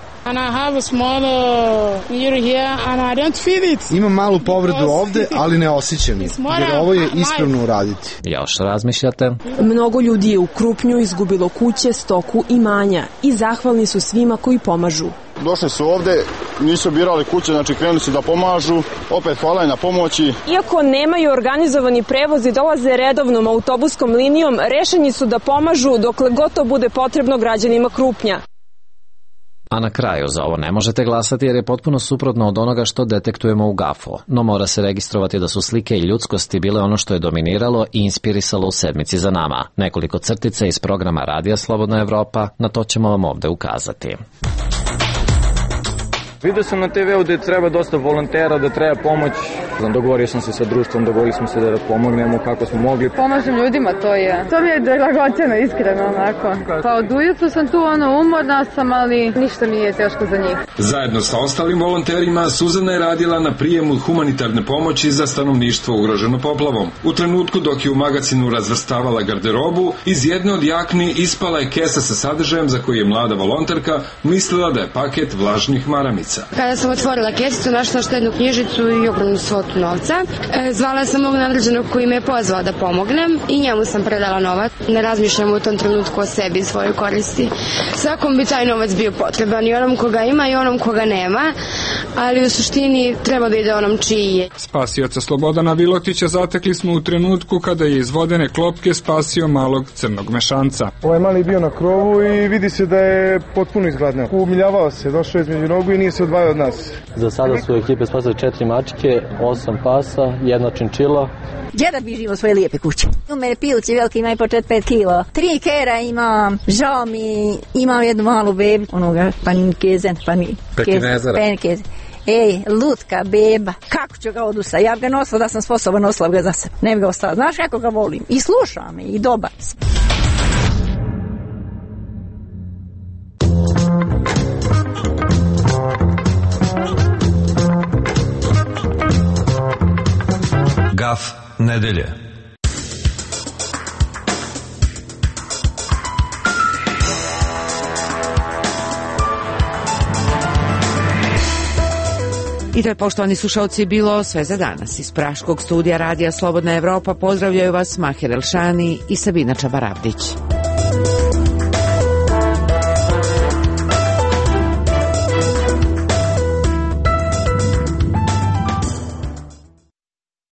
Imam malu povredu ovde, ali ne osjećam je, jer ovo je ispravno uraditi. Još razmišljate? Mnogo ljudi je u Krupnju izgubilo kuće, stoku i imanja i zahvalni su svima koji pomažu. Došli su ovde, nisu birali kuće, znači krenuli su da pomažu, opet hvala na pomoći. Iako nemaju organizovani prevoz i dolaze redovnom autobuskom linijom, rešeni su da pomažu dokle god to bude potrebno građanima Krupnja. A na kraju za ovo ne možete glasati jer je potpuno suprotno od onoga što detektujemo u gafu, no mora se registrovati da su slike i ljudskosti bile ono što je dominiralo i inspirisalo u sedmici za nama. Nekoliko crtica iz programa Radija Slobodna Evropa, na to ćemo vam ovde ukazati. Vidio sam na te veu da treba dosta volontera, da treba pomoć. Dogovorio sam se sa društvom, dogovorili smo se da pomognemo kako smo mogli. Pomažem ljudima, to je. To mi je dragoćeno, iskreno, onako. Pa od ujutru sam tu, ono, umorna sam, ali ništa mi je teško za njih. Zajedno sa ostalim volonterima, Suzana je radila na prijemu humanitarne pomoći za stanovništvo ugroženo poplavom. U trenutku dok je u magacinu razvrstavala garderobu, iz jedne od jakni ispala je kesa sa sadržajem za koji je mlada volonterka mislila da je paket vlažnih maramica. Gorica. Kada sam otvorila kesicu, našla štednu knjižicu i ogromnu svotu novca. E, zvala sam mog nadređenog koji me je pozvao da pomognem i njemu sam predala novac. Ne razmišljam u tom trenutku o sebi i svojoj koristi. Svakom bi taj novac bio potreban, i onom koga ima i onom koga nema, ali u suštini treba da ide onom čiji je. Spasioca Slobodana Vilotića zatekli smo u trenutku kada je iz vodene klopke spasio malog crnog mešanca. Ovaj mali bio na krovu i vidi se da je potpuno izgladneo. Umiljavao se, došao između nogu i nije se odvajao od nas. Za sada su ekipe spasile četiri mačke, osam pasa, jedna činčila. Gdje da bi živo svoje lijepe kuće? U mene pilci veliki imaju po četiri pet kilo. Tri kera imam, žao mi, imam jednu malu bebu, onoga paninkezen, paninkezen, paninkezen. Ej, lutka, beba, kako ću ga odusa? Ja bi ga nosila da sam sposoban, nosila ga za sebe. Ne bi ga ostala. Znaš kako ga volim? I slušam me, i dobar sam. Gaf nedelje. I to je, poštovani slušalci, bilo sve za danas. Iz Praškog studija Radija Slobodna Evropa pozdravljaju vas Mahir Elšani i Sabina Čabaravdić.